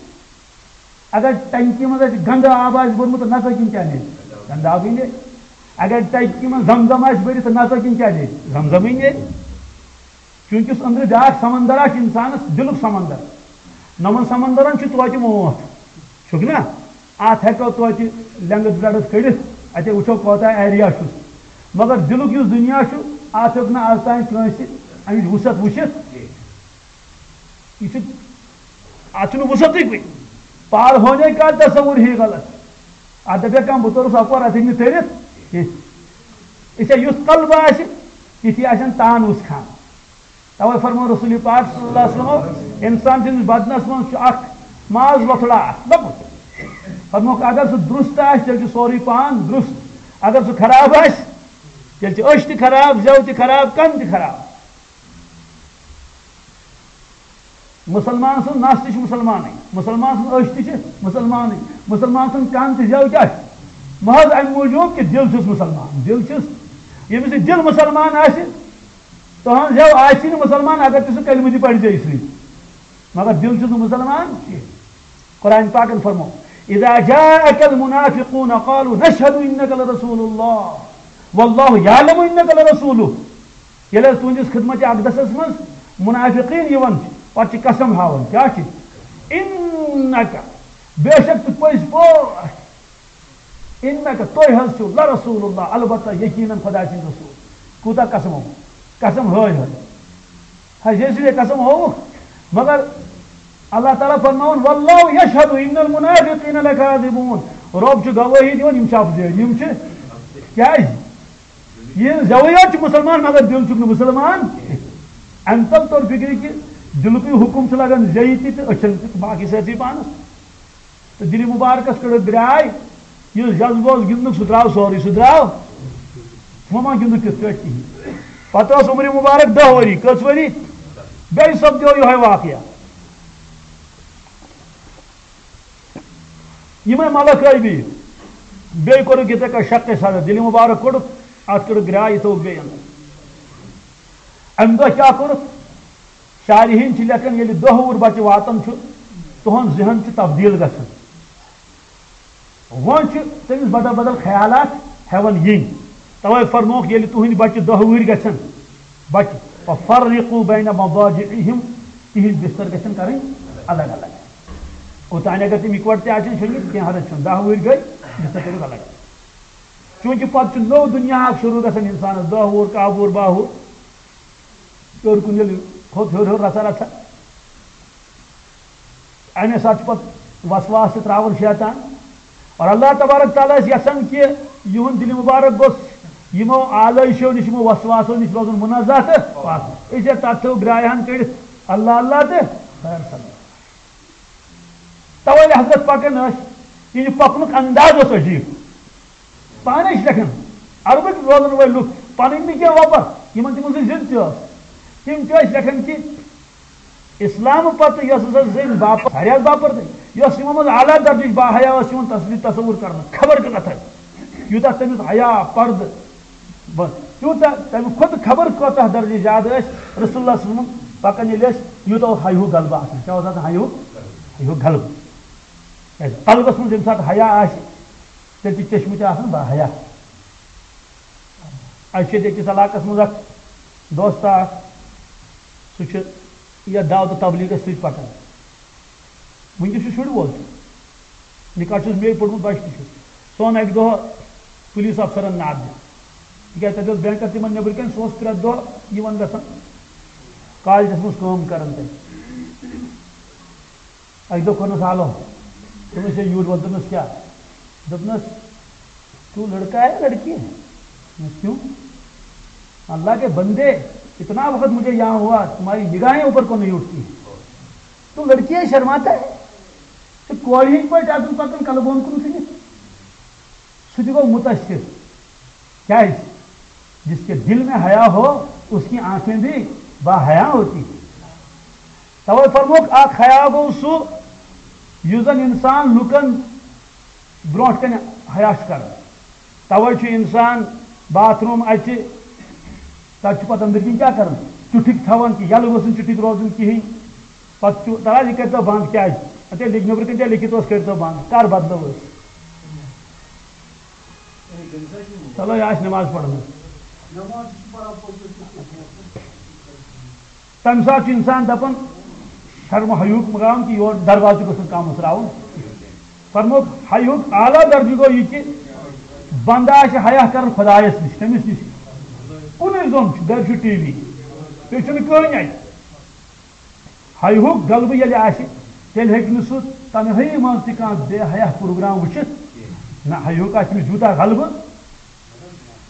اگر ٹنکی منٛز اَسہِ گنٛدٕ آب آسہِ بوٚرمُت، نَژو کِنہٕ کیٛاہ نیرِ؟ گنٛدٕ آبٕے نیرِ۔ اگر ٹنکی منٛز زم زم آسہِ بٔرِتھ، نَژو کِنہٕ کیٛاہ نیرِ؟ زم زمٕے نیرِ۔ چوٗنٛکہِ یُس أنٛدرٕ بیٛاکھ سمندر آسہِ اِنسانَس، دِلُک سمندر، نَمَن سمندرن چھُ توتہِ موتھ، چھُکھ نا؟ اَتھ ہٮ۪کو توتہِ length breadth کٔڑِتھ، اَتے وٕچھو کوتاہ area چھُس۔ مگر دِلُک یُس دُنیا چھُ، اَتھ ہیوٚک نہٕ آز تام کٲنٛسہِ اَمِچ وُسعت وٕچھِتھ۔ یہِ چھُ، اَتھ چھُنہٕ وُسعتٕے کُنہِ۔ پار ہونے کا تصور ہی غلط۔ اَتھ دَپہِ کانٛہہ، بہٕ توٚرُس اَپور، اَتھ ہیٚکہِ نہٕ تٔرِتھ کینٛہہ۔ یہِ چھا یُتھ قلب آسہِ، تِتھی آسن تان وُژھ خان۔ توے فرمو رسول پاک صلی اللہ علیہ وسلم، انسان سٕنٛدِس بدنس منٛز چھُ اکھ ماز وۄتھڑا اکھ لۄکُٹ۔ فرموکھ، اگر سُہ درست آسہِ، تیٚلہِ چھُ سورُے پان درست۔ اگر سُہ خراب آسہِ، تیٚلہِ چھِ أچھ تہِ خراب، زٮ۪و تہِ خراب، کَن تہِ خراب۔ مُسلمان سٕنٛز نَس تہِ چھِ مُسلمانٕے، مُسلمان سٕنٛز أچھ تہِ چھِ مُسلمانٕے، مُسلمان سُنٛد کَن تہٕ زٮ۪و کیٛاہ چھِ؟ محض اَمہِ موٗجوٗب کہِ دِل چھُس مُسلمان، دِل چھُس، ییٚمِس یہِ دِل مُسلمان آسہِ، تُہٕنٛز زٮ۪و آسہِ نہٕ مُسلمان، اگر تہِ سُہ کلمہٕ تہِ پرِ زیٚیہِ سۭتۍ، مگر دِل چھُس نہٕ مُسلمان کینٛہہ۔ قرآن پاکن فرمو، "اذا جاءك المنافقون قالوا نشهد انك لرسول الله والله يعلم انك لرسوله"۔ ییٚلہِ حظ تُہنٛدِس خدمت اقدسس منٛز منافقین یِوان چھِ، پتہٕ چھِ قسم ہاوان، کیٛاہ چھِ؟ "انك"، بے شک ژٕ پٔزۍ پٲٹھۍ، "انك"، تُہۍ حظ چھِو "لرسول الله"، البتہ یقیناً خدا سٕنٛدۍ رسول۔ کوٗتاہ قسم ہووُکھ؟ قسم ہٲے ہٲے۔ ہا، ییٚلہِ سُہ یہِ قسم ہووُکھ، مگر اللہ تعالیٰ فرماوُن، "والله يشهد ان المنافقين لكاذبون"۔ رۄب چھُ گوٲہی دِوان، یِم چھِ اَپزٲرۍ، یِم چھِ، کیٛازِ؟ یہِ زٮ۪وٕے یوت چھُ مُسلمان، مگر دِل چھُکھ نہٕ مُسلمان۔ اَمہِ تَل توٚر فِکرِ کہِ دِلُکُے حُکُم چھُ لگان زیٚیہِ تہِ تہٕ أچھن تہِ تہٕ باقٕے سٲرسٕے پانَس۔ تہٕ دِلہِ مُبارکَس کٔڑٕکھ درٛاے، یُس جذبہٕ اوس گِنٛدنُک، سُہ درٛاو سورُے، سُہ درٛاو۔ وۄنۍ ما گِنٛدُکھ تِتھ پٲٹھۍ کِہیٖنۍ۔ پَتہٕ اوس عمرِ مُبارک دَہ ؤری، کٔژ ؤری؟ بیٚیہِ سَپدیو یِہوٚے واقعہ۔ یِمَے ملک ٲے بیٚیہِ۔ بیٚیہِ کوٚرُکھ یِتھَے کٔنۍ شقِ صدر، دِلہِ مُبارک کوٚڑُکھ، اَتھ کٔڑٕکھ گرٛاے، یہِ تھوٚوُکھ بیٚیہِ اَندَر۔ اَمہِ دۄہ کیٛاہ کوٚرُکھ؟ شارحیٖن چھِ لیکھان، ییٚلہِ دۄہ وُہُر بَچہٕ واتان چھُ، تُہُنٛد ذہن چھُ تبدیٖل گژھان۔ وۄنۍ چھِ تٔمِس بدل بدل خیالات ہٮ۪وان یِنۍ۔ تَوَے فرمووُکھ، ییٚلہِ تُہٕنٛدۍ بَچہٕ دۄہ وُہٕرۍ گژھن، بَچہٕ، "ففرقوا بین مضاجعہم"، تِہِنٛدۍ بِستَر گژھن کَرٕنۍ الگ الگ۔ اوٚتانۍ اگر تِم اِکوَٹہٕ تہِ آسن شۄنٛگِتھ، کینٛہہ حرج چھُنہٕ، دَہ وُہٕرۍ گٔے، بِستَر کٔرِو الگ الگ۔ چوٗنٛکہِ پَتہٕ چھُ نوٚو دُنیا اَکھ شروٗع گژھان اِنسانَس، دَہ وُہُر، کاہ وُہُر، باہ وُہُر۔ ہیوٚر کُن ییٚلہِ کھوٚت ہیوٚر ہیوٚر رژھا رژھا، اَمے ساتہٕ چھُ پَتہٕ وسواس تہِ ترٛاوان شیطان۔ اور اللہ تبارک تعالیٰ ٲسۍ یَژھان کہِ یِہُنٛد دِلہِ مُبارک گوٚژھ یِمو آلٲیشو نِش، یِمو وسواسو نِش روزُن منزہ تہٕ پاک۔ أسۍ ہے تَتھ تھٲو گرٛایہِ ہَن کٔڑِتھ اللہ اللہ تہٕ خیر صلی۔ توے حضرت پکان ٲسۍ، یہِ پکنُک انداز اوس عجیب۔ پانے چھِ لیکھان، عربٕکۍ روزن وٲلۍ لُکھ، پنٕنۍ نہٕ کینٛہہ وۄپر، یِمن تِمن سۭتۍ ضد تہِ ٲس، تِم تہِ ٲسۍ لیکھان کہِ اسلام پتہٕ یۄس ہسا زٔنۍ باپر، واریاہ باپر تہِ، یۄس یِمو منٛز اعلیٰ درجٕچ باحیا ٲس یِوان تصویر تصور کرنہٕ، خبر کۭژاہ تھدِ، یوٗتاہ تٔمِس حیا، پردٕ، بس، تیوٗتاہ تَمہِ کھۄتہٕ خبر کۭژاہ درجہٕ زیادٕ ٲسۍ رسول اللہ صلی اللہ علیہ وسلم پَکان، ییٚلہِ ٲسۍ یوٗتاہ اوس ہَے ہیوٗ غلبہٕ آسان۔ کیٛاہ اوس آسان؟ ہَے ہیوٗ، ہَے ہیوٗ غلبہٕ۔ کیٛازِ؟ قلبَس منٛز ییٚمہِ ساتہٕ حیا آسہِ، تیٚلہِ چھِ چشمہٕ تہِ آسان با حیا۔ اَسہِ چھِ ییٚتہِ أکِس علاقَس منٛز اَکھ دوستہ اَکھ، سُہ چھُ یَتھ دعوت و تبلیغَس سۭتۍ پَکان۔ وٕنکیٚس چھُ شُرۍ وول تہِ۔ نِکاح چھُس مے پوٚرمُت، بَچہِ تہِ چھُس۔ سُہ اوٚن اَکہِ دۄہ پُلیٖس اَفسَرَن ناد دِتھ۔ تِکیٛازِ تَتہِ اوس بینکَر تِمَن نیٚبرٕ کَنۍ، سُہ اوس پرٛٮ۪تھ دۄہ یِوان گژھان کالجَس منٛز کٲم کَران تَتہِ۔ اَکہِ دۄہ کوٚرنَس آلو۔ دوٚپنَس، "ہے، یوٗرۍ وَل۔" دوٚپنَس، "کیٛاہ؟" دوٚپنَس، "تو لڑکا ہے لڑکی ہے؟" دوٚپنَس، "کیوں؟" "اللہ کے بندے، اتنا وقت مجھے یہاں ہوا، تمہاری نگاہیں اوپر کو نہیں اٹھتی۔ تو لڑکی ہے، شرماتا ہے؟" ژٕ کورِ ہٕنٛدۍ پٲٹھۍ آسُن پَکان کَلہٕ بۄن کُن ژھٕنِتھ۔ سُہ تہِ گوٚو مُتٲثِر۔ کیٛازِ؟ جس کے دل میں حیا ہو، اس کی آنکھیں بھی با حیا ہوتی ہیں۔ توے فرمووُکھ، اکھ حیا گوٚو سُہ، یُس زَن اِنسان لُکَن برونٛٹھ کَنہِ حیا چھُ کَران۔ توے چھُ اِنسان باتھ روٗم اَژِ، تَتہِ چھُ پَتہٕ أنٛدٕرۍ کِنۍ کیٛاہ کَرُن؟ چُٹھِکۍ تھاوان کہِ یَلہٕ گوٚژھ نہٕ چُٹھِکۍ روزُن کِہیٖنۍ۔ پَتہٕ چھُ دَپان، یہِ کٔرۍتو بنٛد، کیٛازِ؟ اَتہِ لیٚکھۍ، نیٚبرٕ کَنہِ تہِ لیٚکھِتھ اوس، کٔرۍتو بنٛد، کَر بدلو أسۍ؟ چلو، یہِ آسہِ نٮ۪ماز پَرنَس۔ تَمہِ ساتہٕ چھُ اِنسان دَپان، شرمہٕ حیاہُک مقام کہِ یور دروازٕ گوٚژھ نہٕ کانٛہہ مُژراوُن۔ فرمووُکھ، حیاہُک اعلیٰ درجہٕ گوٚو یہِ کہِ بنٛدٕ آسہِ حیا کران خۄدایَس نِش، تٔمِس نِش۔ کُنُے زوٚن چھُ، گرِ چھُ ٹی وی، بیٚیہِ چھُنہٕ کٕہٕنۍ اَتہِ۔ حیاہُک غلبہٕ ییٚلہِ آسہِ، تیٚلہِ ہیٚکہِ نہٕ سُہ تنہٲیی منٛز تہِ کانٛہہ بے حیا پروگرام وٕچھِتھ۔ نہ، حیاہُک آسہِ تٔمِس یوٗتاہ غلبہٕ،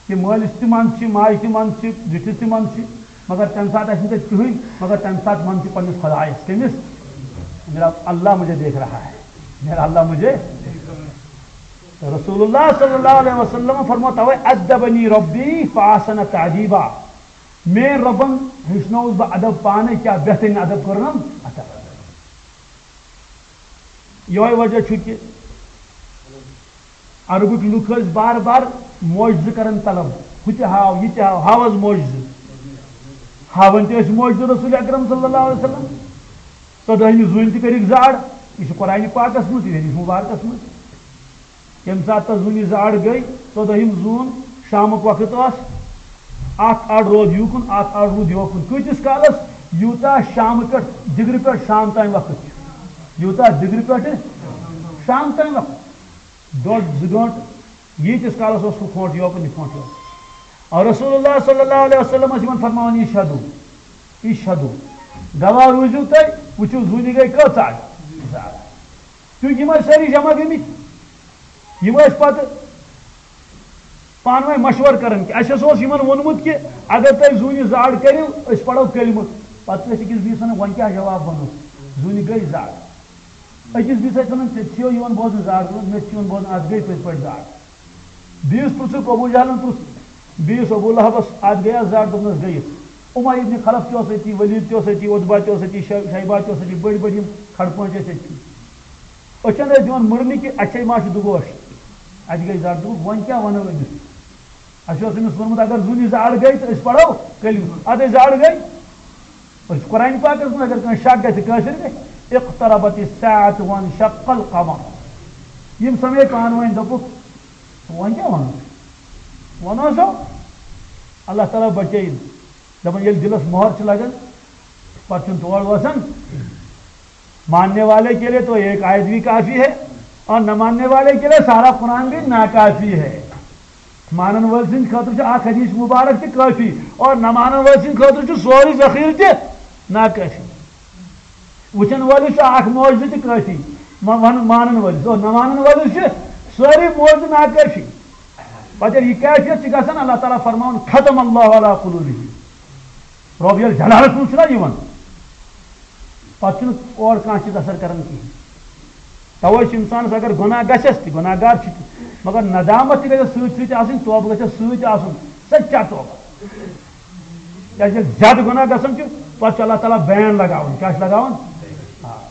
تہِ مٲلِس تہِ منٛد چھِ، ماجہِ تہِ منٛد چھِ، زِٹھِس تہِ منٛد چھِ، مگر تَمہِ ساتہٕ آسہِ نہٕ تَتہِ کٕہٕنۍ، مگر تَمہِ ساتہٕ منٛد چھِ پنٛنِس خۄدایَس۔ کٔمِس؟ میرا اللہ مجھے دیکھ رہا ہے، میرا اللہ مجھے۔ رسول اللہ صلی اللہ علیہ وسلم فرماتا ہے، "ادبنی ربی فاحسن تادیبا"، میٲنۍ رۄبن ہیٚچھنووُس بہٕ ادب پانے، کیٛاہ بہترین ادب کوٚرنم عطا۔ یہوے وجہ چھُ کہِ عربٕکۍ لُکھ ٲسۍ بار بار معجزٕ کران طلب، ہُہ تہِ ہاو، یہِ تہِ ہاو، ہاو حظ معجزٕ۔ ہاوان تہِ ٲسۍ معجزٕ رسول اکرم صلی اللہ علیہ وسلم۔ ژۄدٲہمہِ زوٗنہِ تہِ کٔرِکھ زاڑ، یہِ چھُ قرآنِ پاکس منٛز، تہِ چھُ حدیث مبارکس منٛز۔ ییٚمہِ ساتہٕ تَس زوٗنہِ زاڑ گٔے، ژۄدٲہِم زوٗن، شامُک وقت اوس، اکھ اَڑ روٗد یوٗکُن، اکھ اَڑ روٗد یوکُن۔ کۭتِس کالس؟ یوٗتاہ شامہٕ پٮ۪ٹھ، دِگرٕ پٮ۪ٹھ شام تام وقت چھُ۔ یوٗتاہ دِگرٕ پٮ۪ٹھ شام تام وقت۔ ڈۄڈ زٕ گٲنٛٹہٕ، ییٖتِس کالس اوس ہُہ کھونٛٹ یوکُن، یہِ کھونٛٹ یوکُن۔ اور رسول اللہ صلی اللہ علیہ وسلم ٲسۍ یِمن فرماوان، "اشہدو، اشہدو"، گواہ روٗزِو تُہۍ، وٕچھِو زوٗنہِ گٔے کۭژاہ؟ زٕ ہتھ۔ چونکہ یِم ٲسۍ سٲری جمع گٔمٕتۍ، یِم ٲسۍ پتہٕ پانہٕ ؤنۍ مشورٕ کران کہِ اَسہِ ہسا اوس یِمن ووٚنمُت کہِ اگر تُہۍ زوٗنہِ زاڑ کٔرِو، أسۍ پرو کلمہٕ۔ پتہٕ چھِ أسۍ أکِس بیٚیِس ونان، "وۄنۍ کیٛاہ جواب وَنو؟ زوٗنہِ گٔے زاڑ۔" أکِس بیٚیِس ٲسۍ ونان، "ژےٚ چھِو یِوان بوزنہٕ زاڑ گٔمٕژ، مےٚ تہِ چھِ یِوان بوزنہٕ، اَتھ گٔے پٔزۍ پٲٹھۍ زاڑ۔" بیٚیِس پرٛژھُکھ، ابو جہلن پرٛژھ بیٚیِس ابو لہبس، "اَتھ گٔیا زاڑ؟" دوٚپنس، "گٔیَس۔" اُمَیہ ابن خلف تہِ اوس أتی، ولید تہِ اوس أتی، عتبہ تہِ اوس أتی، شے-، شیبہ تہِ اوس أتی، بٔڑۍ بٔڑۍ یِم کھڑپٲنٛٹۍ ٲسۍ أتی۔ أچھن ٲسۍ دِوان مُرنہِ کہِ اَتہِ چھے ما چھُ دُگوش، اَتہِ گٔے زر۔ دوٚپُکھ، "وۄنۍ کیٛاہ وَنو أمِس؟ اَسہِ اوس أمِس ووٚنمُت، اگر زوٗنہِ زاڑ گٔے تہٕ أسۍ پَرو کلمہٕ، اَدٕ أسۍ زاڑ گٔے۔" أسۍ چھِ قرآن پاکَس منٛز، اگر کٲنٛسہِ شک گژھِ، کٲشِر گژھِ، "اقتربت الساعة وانشق القمر۔" یِم سَمے پانہٕ ؤنۍ، دوٚپُکھ، "وۄنۍ کیٛاہ وَنو؟ وَنو سا، اللہ تعالیٰ بَچٲیِن۔" دَپان، ییٚلہِ دِلَس مۄہَر چھِ لَگان، پَتہٕ چھُنہٕ تور وَسان۔ ماننے والے کے لیے تو ایک آیت بھی کافی ہے اور نہ ماننے والے کے لیے سارا قرآن بھی ناکافی ہے۔ مانن وٲلۍ سٕنٛدِ خٲطرٕ چھُ اکھ حدیث مبارک تہِ کٲفی اور نہ مانن وٲلۍ سٕنٛدِ خٲطرٕ چھُ سورُے ذخیرٕ تہِ ناکٲفی۔ وٕچھن وٲلِس چھُ اکھ معجزٕ تہِ کٲفی، مہ-، وَن-، مانن وٲلِس اور نہ مانن وٲلِس چھِ سٲری معجزٕ ناکٲفی۔ پتہٕ ییٚلہِ یہِ کیفیت چھِ گژھان، اللہ تعالیٰ فرماوان، "ختم اللہ علی قلوبہم۔" رۄب ییٚلہِ جلالس منٛز چھُنہ یِوان، پتہٕ چھُنہٕ اورٕ کانٛہہ چیٖز اثر کران کِہیٖنۍ۔ توے چھُ اِنسانَس اگر گۄناہ گژھٮ۪س تہِ، گۄناہ گار چھُ تہِ، مگر ندامت تہِ گژھٮ۪س سۭتۍ سۭتۍ آسٕنۍ، توبہٕ گژھٮ۪س سۭتۍ آسُن، سچا توبہٕ۔ کیٛازِ ییٚلہِ زیادٕ گۄناہ گژھان چھُ، پتہٕ چھُ اللہ تعالیٰ بین لگاوان۔ کیٛاہ چھُ لگاوان؟ آ۔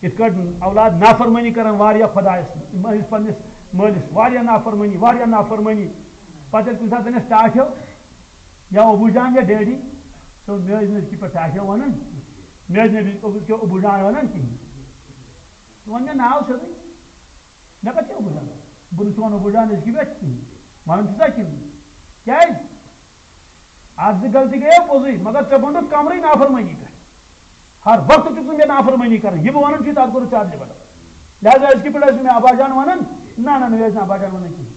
یِتھ کٲٹھۍ اولاد نافرمٲنی کران واریاہ خۄدایَس، مٲلِس، پننِس مٲلِس، واریاہ نافرمٲنی، واریاہ نافرمٲنی۔ پتہٕ ییٚلہِ کُنہِ ساتہٕ أمِس ٹاٹھیو یا ابوٗ جان یا ڈیڈی، سُہ مےٚ ٲسۍ نہٕ أزکہِ پٮ۪ٹھ ٹاٹھیو وَنان، مےٚ ٲسۍ نہٕ أزکہِ ابوٗ جان وَنان کِہیٖنۍ۔ ژٕ وَن مےٚ ناو سیوٚدُے۔ مےٚ کَتہِ چھِ ابوٗ جان؟ بہٕ نہٕ چون ابوٗ جان أزکہِ پٮ۪ٹھ کِہیٖنۍ۔ وَنان چھُسا کِنہٕ؟ کیٛازِ؟ اَکھ زٕ غلطی گٔیے پوٚزُے، مگر ژےٚ بنٛڈُتھ کمرٕے نافرمٲنی پٮ۪ٹھ۔ ہر وقتہٕ چھُکھ ژٕ مےٚ نافرمٲنی کران۔ یہِ بہٕ وَنان چھُے، تَتھ کوٚرُتھ ژےٚ اَدلہِ بدل۔ لہذا أزکہِ پٮ۪ٹھ ٲسۍ نہٕ مےٚ ابا جان وَنان، نہ، نہ، مےٚ ٲسۍ نہٕ ابا جان وَنان کِہیٖنۍ۔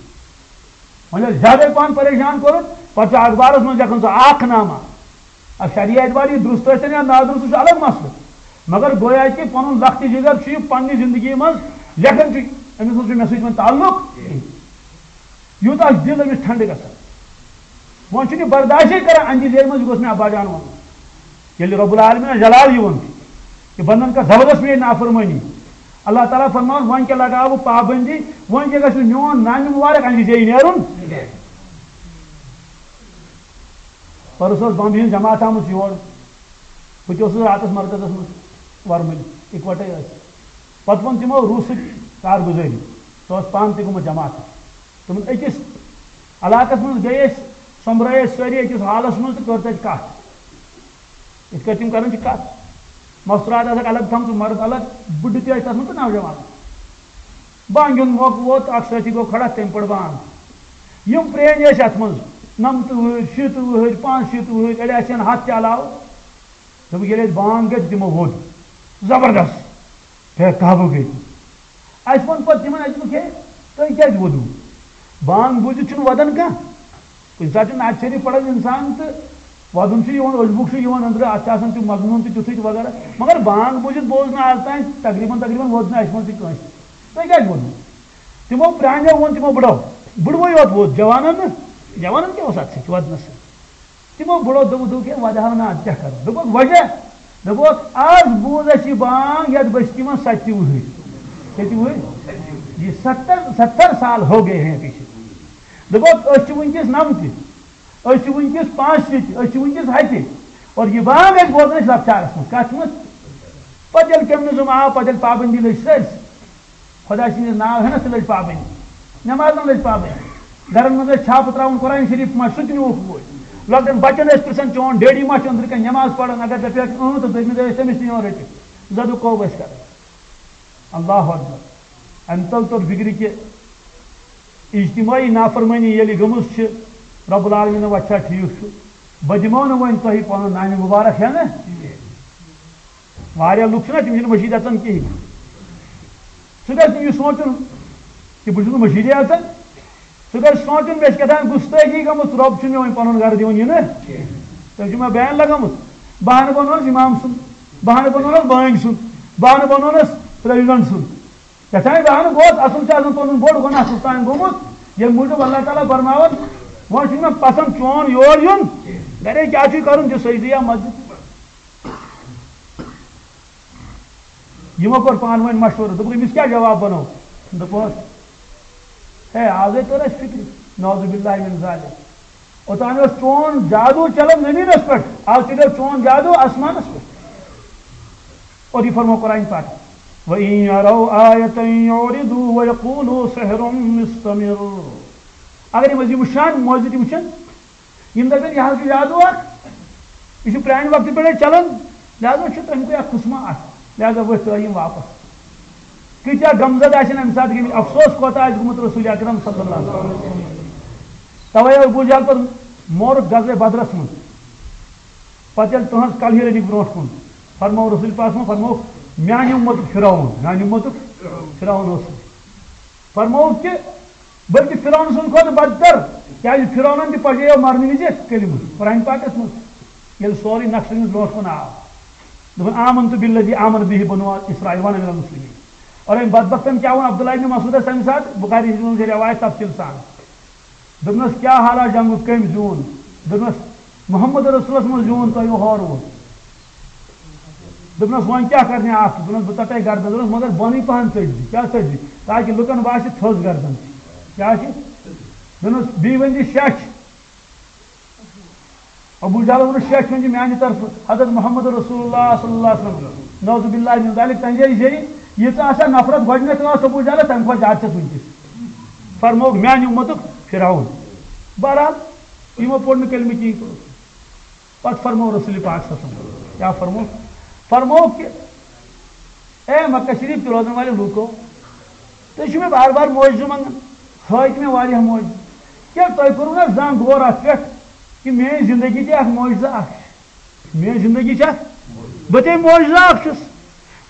وۄنۍ ییٚلہِ زیادَے پَہَن پریشان کوٚرُتھ، پَتہٕ چھُ اخبارَس منٛز لیکھان سُہ اکھ نامہ۔ اب شریعت والی درست ٲسۍ تن یا نادرست، سُہ چھُ الگ مسلہٕ۔ مگر گویا کہِ پنُن لۄکٹہِ جگر چھُ یہِ پننہِ زندگی منٛز لیکھان چھُ، أمِس منٛز چھُ مےٚ سۭتۍ وۄنۍ تعلق کِہیٖنۍ۔ یوٗتاہ چھُ دِل أمِس ٹھنڈٕ گژھان۔ وۄنۍ چھُنہٕ یہِ برداشے کران، اَمہِ زیرِ منٛز یہِ گوٚژھ مےٚ ابا جان وَنُن۔ ییٚلہِ رب العالمین جلال یِوان چھُ، یہِ بندن کر زبردست میٲنۍ نافرمٲنی۔ اللہ تعالیٰ فرماوان، وۄنۍ کیٛاہ لگاوٕ پابندی، وۄنۍ کیٛاہ گژھِ میون نامہِ مبارک اَمہِ زیرِ نیرُن؟ پرُس ٲس بمبہِ ہٕنٛز جماعت آمٕژ یور۔ بہٕ تہِ اوسُس راتَس مرکزَس منٛز ورمُلہِ، اِکوَٹَے ٲسۍ۔ پَتہٕ ووٚن تِمو روٗسٕچ کارگُزٲری۔ سُہ اوس پانہٕ تہِ گوٚمُت جماعتَس۔ تِمَن أکِس علاقَس منٛز گٔے أسۍ، سۄمبرٲے أسۍ سٲری أکِس حالس منٛز تہٕ کٔر تَتہِ کَتھ۔ یِتھ کٲٹھۍ تِم کران چھِ کَتھ۔ مستورات آسَکھ الگ تھٲمژٕ، مرد الگ، بُڈٕ تہِ ٲسۍ تَتھ منٛز تہٕ نوجوان۔ بانگہِ ہُنٛد موقعہٕ ووت، اکھ سٲتھی گوٚو کھڑا، تٔمۍ پٔر بانگ۔ یِم پرٛٲنۍ ٲسۍ اَتھ منٛز، نَمتہٕ وُہٕرۍ، شیٖتہٕ وُہٕرۍ، پانٛژھ شیٖتہٕ وُہٕرۍ، أڑۍ آسن ہَتھ تہِ علاوٕ۔ دوٚپُکھ، ییٚلہِ اَسہِ بانگ گٔے تہٕ تِمو ووٚد۔ زبردست۔ ہے، قابو گٔے تِم۔ اَسہِ ووٚن پَتہٕ تِمن، اَسہِ دوٚپُکھ، ہے، تُہۍ کیٛازِ ووٚدوٕ؟ بانگ بوٗزِتھ چھُنہٕ وَدان کانٛہہ۔ کُنہِ ساتہٕ چھُ نعت شریف پَران اِنسان تہٕ وَدُن چھُ یِوان، اوٚش بُک چھُ یِوان أنٛدرٕ، اَتھ چھُ آسان تیُتھ مضموٗن تہِ تیُتھُے تہٕ وغیرہ۔ مگر بانگ بوٗزِتھ بوز نہٕ آز تام تقریٖباً، تقریٖباً ووٚد نہٕ اَسہِ منٛز تہِ کٲنٛسہِ۔ تُہۍ کیٛازِ ووٚدوٕ؟ تِمو پرٛانیو ووٚن، تِمو بٕڈو، بٕڈوٕے یوت ووٚد، جوانن نہٕ۔ جوانن کیٛاہ اوس اَتھ سۭتۍ وَدنَس سۭتۍ؟ تِمو بٕڈو دوٚپُکھ، دوٚپُکھ، ہے، وَدٕ ہاو نہٕ، اَدٕ کیٛاہ کَرو؟ دوٚپُکھ، وَجہ؟ دوٚپُکھ، آز بوٗز اَسہِ یہِ بانگ یَتھ بٔستی منٛز سَتہِ وُہٕرۍ۔ کٔژِ وُہٕرۍ؟ یہِ ستر، ستر سال ہو گئے ہیں پیچھے۔ دوٚپُکھ، أسۍ چھِ وٕنکیٚس نَمتہِ، أسۍ چھِ وٕنکیٚس پانٛژھ شیٖتہِ، أسۍ چھِ وٕنکیٚس ہَتہِ۔ اور یہِ بانگ اَسہِ بوزان أسۍ لۄکچارَس منٛز۔ کَتھ منٛز؟ پَتہٕ ییٚلہِ کمیونزم آو، پَتہٕ ییٚلہِ پابندی لٔج سٲرسٕے، خۄداے سٕنٛدِس ناوٕ ہٮ۪نَس تہِ لٔج پابندی، نٮ۪مازَن لٔج پابندی۔ گَرَن منٛز ٲسۍ چھاپہٕ ترٛاوُن، قرآن شریٖف ما چھُ، سُہ تہِ نیوٗکھ بوے۔ لۄکٹٮ۪ن بَچَن ٲسۍ پِرٛژھان، "چون ڈیڈی ما چھُ أنٛدرٕ کَنہِ نٮ۪ماز پَران؟" اگر دَپٮ۪کھ، "اۭں"، تہٕ دوٚیمہِ دۄہ ٲسۍ تٔمِس تہِ یِوان رٔٹِتھ۔ زَدُک کوٚب ٲسۍ کَران۔ اللہ اکبر۔ اَمہِ تَل توٚر فِکرِ کہِ اجتماعی نافرمٲنی ییٚلہِ گٔمٕژ چھِ، رب العالمینَن وَتہِ چھا ٹھیٖک چھُ، بہٕ دِمو نہٕ وۄنۍ تۄہہِ پَنُن نانہِ مُبارک ہٮ۪نہٕ۔ واریاہ لُکھ چھِنہ، تِم چھِنہٕ مٔشیٖد اَژان کِہیٖنۍ۔ سُہ گژھِ نہٕ یہِ سونٛچُن کہِ بہٕ چھُس نہٕ مٔشیٖدے اَژان۔ سُہ گژھِ سونٛچُن، مےٚ چھِ کیٛاہ تام گُستٲخی گٔمٕژ، رۄب چھُنہٕ مےٚ وۄنۍ پَنُن گَرٕ دِوان یِنہٕ۔ تٔمۍ چھُ مےٚ بین لَگٲمٕژ۔ بہانہٕ بَنوونَس اِمام سُنٛد، بہانہٕ بَنوونَس بٲنۍ سُنٛد، بہانہٕ بَنوونَس پرٛزِڈنٛٹ سُنٛد۔ یَتھ تام بہانہٕ گوٚو، اَصٕل چھُ آسان پَنُن بوٚڑ گۄناہ سُہ تام گوٚمُت، ییٚمہِ موٗجوٗب اللہ تعالیٰ فرماوان، وۄنۍ چھُنہٕ مےٚ پَسنٛد چون یور یُن، گَرے کیٛاہ چھُے کَرُن، دِ سجدٕ یا مسجد۔ یِمو کوٚر پانہٕ ؤنۍ مشورٕ، دوٚپُکھ، "أمِس کیٛاہ جواب وَنو؟" دوٚپہوس، "ہے، آزے توٚر اَسہِ فِکرِ، نعوذ باللہ من ذالک۔ اوٚتام اوس چون جادو چلان زٔمیٖنَس پٮ۪ٹھ، آز چلیو چون جادو آسمانَس پٮ۪ٹھ۔" اور یہِ فرمو قرآن پاک، "وَإِن يَرَوْا آيَةً يُعْرِضُوا وَيَقُولُوا سِحْرٌ مُسْتَمِرٌّ۔" اگر یِم أسۍ یہِ وٕچھان، موجود یِم وٕچھان، یِم دَپن، "یہِ حظ چھُ جادو اکھ، یہِ چھُ پرٛانہِ وقتہٕ پٮ۪ٹھَے چلان، لہذا چھُ تَمہِ کُے اکھ قٕسمہ اکھ، لہذا ؤتھۍ ترٛٲے یِم واپس۔" کۭتیٛاہ غمزدٕ آسن اَمہِ ساتہٕ گٔمٕتۍ، افسوس کوتاہ آسہِ گوٚمُت رسول اکرم صلی اللہ علیہ وسلم۔ توے ابو جہل پتہٕ مورُکھ غزوہ بدرس منٛز۔ پتہٕ ییٚلہِ تُہنٛز کلہٕ ہیٖر أنِکھ برونٛٹھ کُن، فرموو رسول پاکس منٛز، فرموو، "میانہِ اُمتُک فرعون، میانہِ اُمتُک فرعون اوس۔" فرمووُکھ کہِ بلکہِ فرعون سٕنٛدِ کھۄتہٕ بدتر، کیازِ فرعونن تہِ پجیو مرنہٕ وِزِ کلمہٕ۔ قرآن پاکس منٛز ییٚلہِ سورُے نقشہٕ تٔمِس برونٛٹھ کُن آو، دوٚپُن، "آمنت بالذی آمن بہ بنو اسرائیل وانا من المسلمین۔" اور أمۍ بدبختن کیٛاہ ووٚن؟ عبداللہ ابن مسعودس تمہِ ساتہٕ، بخاری شریفس منٛز چھِ روایت تفصیل سان۔ دوٚپنس، "کیٛاہ حالہ جنگُک، کٔمۍ زیوٗن؟" دوٚپنس، "محمد رسولس منٛز زیوٗن تۄہہِ ہورٕ ووت۔" دوٚپنس، "وۄنۍ کیٛاہ کرنہِ اکھ؟" دوٚپنس، "بہٕ ژٹے گردن۔" دوٚپنس، "مگر بۄنٕے پہن ژٔٹۍ زِ۔" کیٛاہ ژٔٹۍ زِ؟ تاکہِ لُکن باسہِ تھٔز گردن۔ کیٛاہ چھِ؟ دوٚپنس، "بیٚیہِ ؤنۍ زِ شیٚچھ۔" ابو جہل ووٚنُس، "شیٚچھ ؤنۍ زِ میانہِ طرفہٕ حضرت محمد رسول اللہ صلی اللہ علیہ وسلم۔" نعوذ باللہ من ذالک، تَمہِ جایہِ زیٚیہِ ییٖژاہ آسان نفرت گۄڈٕنیتھ ٲس ابو جہلس، تَمہِ کھۄتہٕ زیادٕ چھَس وٕنکیٚس۔ فرمووُکھ، "میانہِ اُمتُک فرعون۔" بہرحال، یِمو پوٚر نہٕ کلمہٕ کِہیٖنۍ۔ پتہٕ فرموو رسول پاک صلی اللہ علیہ وسلم، کیٛاہ فرموو؟ فرموو کہِ، "اے مکہ شریف تہِ روزن والے لوٗکو، تُہۍ چھِو مےٚ بار بار معجزٕ منٛگان، ہٲوۍ تہِ مےٚ واریاہ معجزٕ۔ کیٛاہ تۄہہِ کوٚروٕ نہ زانٛہہ غور اَتھ پٮ۪ٹھ کہِ میٛٲنۍ زندگی تہِ اکھ معجزٕ اکھ چھِ؟ میٛٲنۍ زندگی چھِ اکھ، بہٕ تہِ معجزٕ اکھ چھُس۔"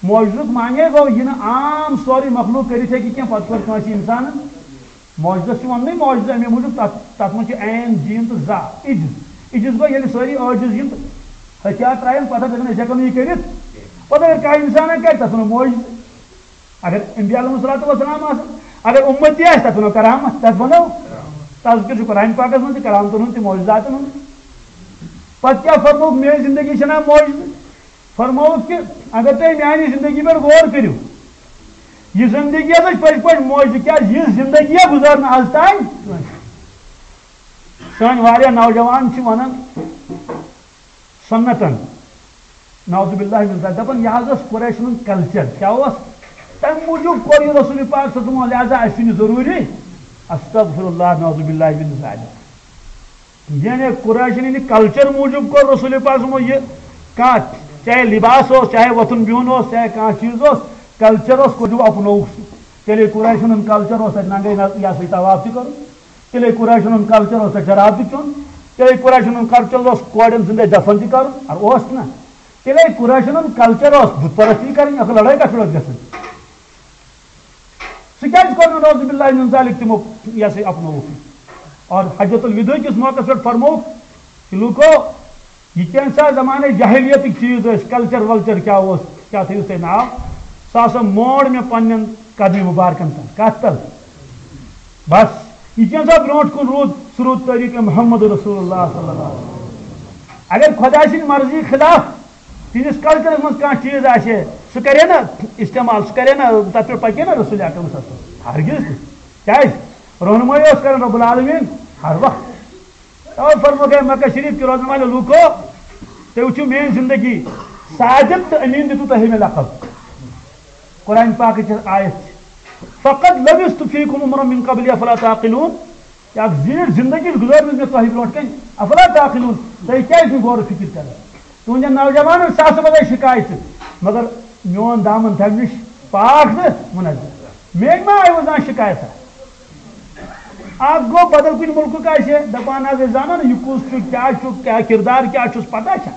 معجزُک معنی گوٚو یہِ نہٕ عام سورُے مخلوق کٔرِتھ ہیٚکہِ کینٛہہ، پتہٕ کوٚر کٲنٛسہِ اِنسانن۔ معجزس چھُ وَننٕے معجزٕ، اَمے موٗجوٗب تَتھ، تَتھ منٛز چھُ عین، جیٖم تہٕ زا، عجز۔ عجز گوٚو ییٚلہِ سٲری عٲجِز یِن تہٕ ہتھیار ترٛاون، پتہٕ دَپن، "أسۍ ہٮ۪کو نہٕ یہِ کٔرِتھ۔" پتہٕ اگر کانٛہہ اِنسانا کَرِ، تَتھ وَنو معجزٕ۔ اگر انبیاء علیہم الصلوۃ والسلام آسن، اگر اُمتی آسہِ، تَتھ وَنو کرامت، تَتھ وَنو۔ تَذکر چھُ قرآن پاکس منٛز تہِ، کرامتن ہُنٛد تہِ، معجزاتن ہُنٛد۔ پتہٕ کیٛاہ فرمووُکھ، میٲنۍ زندگی چھَنا معجزٕ؟ فرمووُکھ کہِ اگر تُہۍ میانہِ زندگی پٮ۪ٹھ غور کٔرِو، یہِ زندگی ٲس پٔزۍ پٲٹھۍ معجزٕ، کیٛازِ یِژھ زندگی گُزٲر نہٕ از تام کٲنٛسہِ۔ سٲنۍ واریاہ نوجوان چھِ ونان سنتن، نعوذ باللہ من ذالک، دپان یہِ حظ اوس قریشن ہُنٛد culture۔ کیٛاہ اوس؟ تمہِ موٗجوٗب کوٚر یہِ رسول پاک صلی اللہ علیہ وسلم، لہذا اَسہِ چھُنہٕ یہِ ضروٗری۔ استغفر اللہ، نعوذ باللہ من ذالک۔ یعنی قریشن ہٕنٛدِ کلچر موٗجوٗب کوٚر رسول پاک صٲبن یہِ کانٛہہ، چاہے لباس اوس، چاہے وۄتھُن بِہُن اوس، چاہے کانٛہہ چیٖز اوس، کلچر اوس، کوٚر اپنووُکھ سُہ۔ تیٚلے قریشن ہُنٛد کلچر اوس تتہِ ننگے نظ-، یہِ ہسا یہِ طواف تہِ کرُن۔ تیٚلے قریشن ہُنٛد کلچر اوس تتہِ شراب تہِ چیوٚن۔ تیٚلے قریشن ہُنٛد کلچر اوس کورٮ۪ن زندے دفن تہِ کرُن۔ ار اوس نہ؟ تیٚلے قریشن ہُنٛد کلچر اوس بت پرستی کرٕنۍ، اکھ لڑٲے کتھ پٮ۪ٹھ ٲس گژھان؟ سُہ کیازِ کوٚر نہٕ نعوذ باللہ من ذالک تِمو یہِ ہسا یہِ اپنووُکھ؟ اور حجۃ الوداع کِس موقعس پٮ۪ٹھ فرمووُکھ کہ لوٗکو، یہِ کینٛژھا زمانَے جاہلیتٕکۍ چیٖز ٲسۍ، کلچر ولچر کیٛاہ اوس، کیٛاہ تھٲیِو تُہۍ ناو، سُہ ہسا مونڈ مےٚ پننٮ۪ن قدمہِ مُبارکن تل۔ کتھ تل؟ بس، یہِ کینٛژھا برونٛٹھ کُن روٗد، سُہ روٗد طریٖقہٕ محمد رسول اللہ صلی اللہ علیہ وسلم۔ اگر خۄداے سٕنٛدِ مرضی خلاف تِہنٛدِس کلچرس منٛز کانٛہہ چیٖز آسہِ ہے، سُہ کرے نہ استعمال، سُہ کرے نہ، تتھ پٮ۪ٹھ پکے نہ رسول اکرم صلی اللہ علیہ وسلم۔ ہرگز نہٕ۔ کیٛازِ؟ رہنمٲیی اوس کران رب العالمین ہر وقت۔ توے فرموو ہے مکہ شریف کہِ روزن والٮ۪و لوٗکو، تُہۍ وٕچھِو میٲنۍ زندگی، صادق تہٕ امین دِتُو تۄہہِ مےٚ لقب۔ قرآن پاکٕچ آیت چھِ، فقد لبثت فیکم عمرا من قبل افلا تعقلون۔ یہِ اکھ زیٖٹھ زندگی چھِ گُزٲرمٕژ مےٚ تۄہہِ برونٛٹھ کَنہِ، افلا تعقلون، تُہۍ کیٛازِ چھِو غور و فکر کران؟ تُہنٛدٮ۪ن نوجوانن ساسہٕ بَدَے شِکایتہٕ، مگر میون دامن تھاوِ نِش پاک تہٕ منزہ۔ مےٚ ما آیوٕ زانٛہہ شِکایتہ؟ اکھ گوٚو بدل کُنہِ مُلکُک آسہِ ہے، دپان حظ أسۍ زانو نہٕ یہِ کُس چھُ، کیٛاہ چھُ، کیٛاہ کردار کیٛاہ چھُس، پتہ چھا؟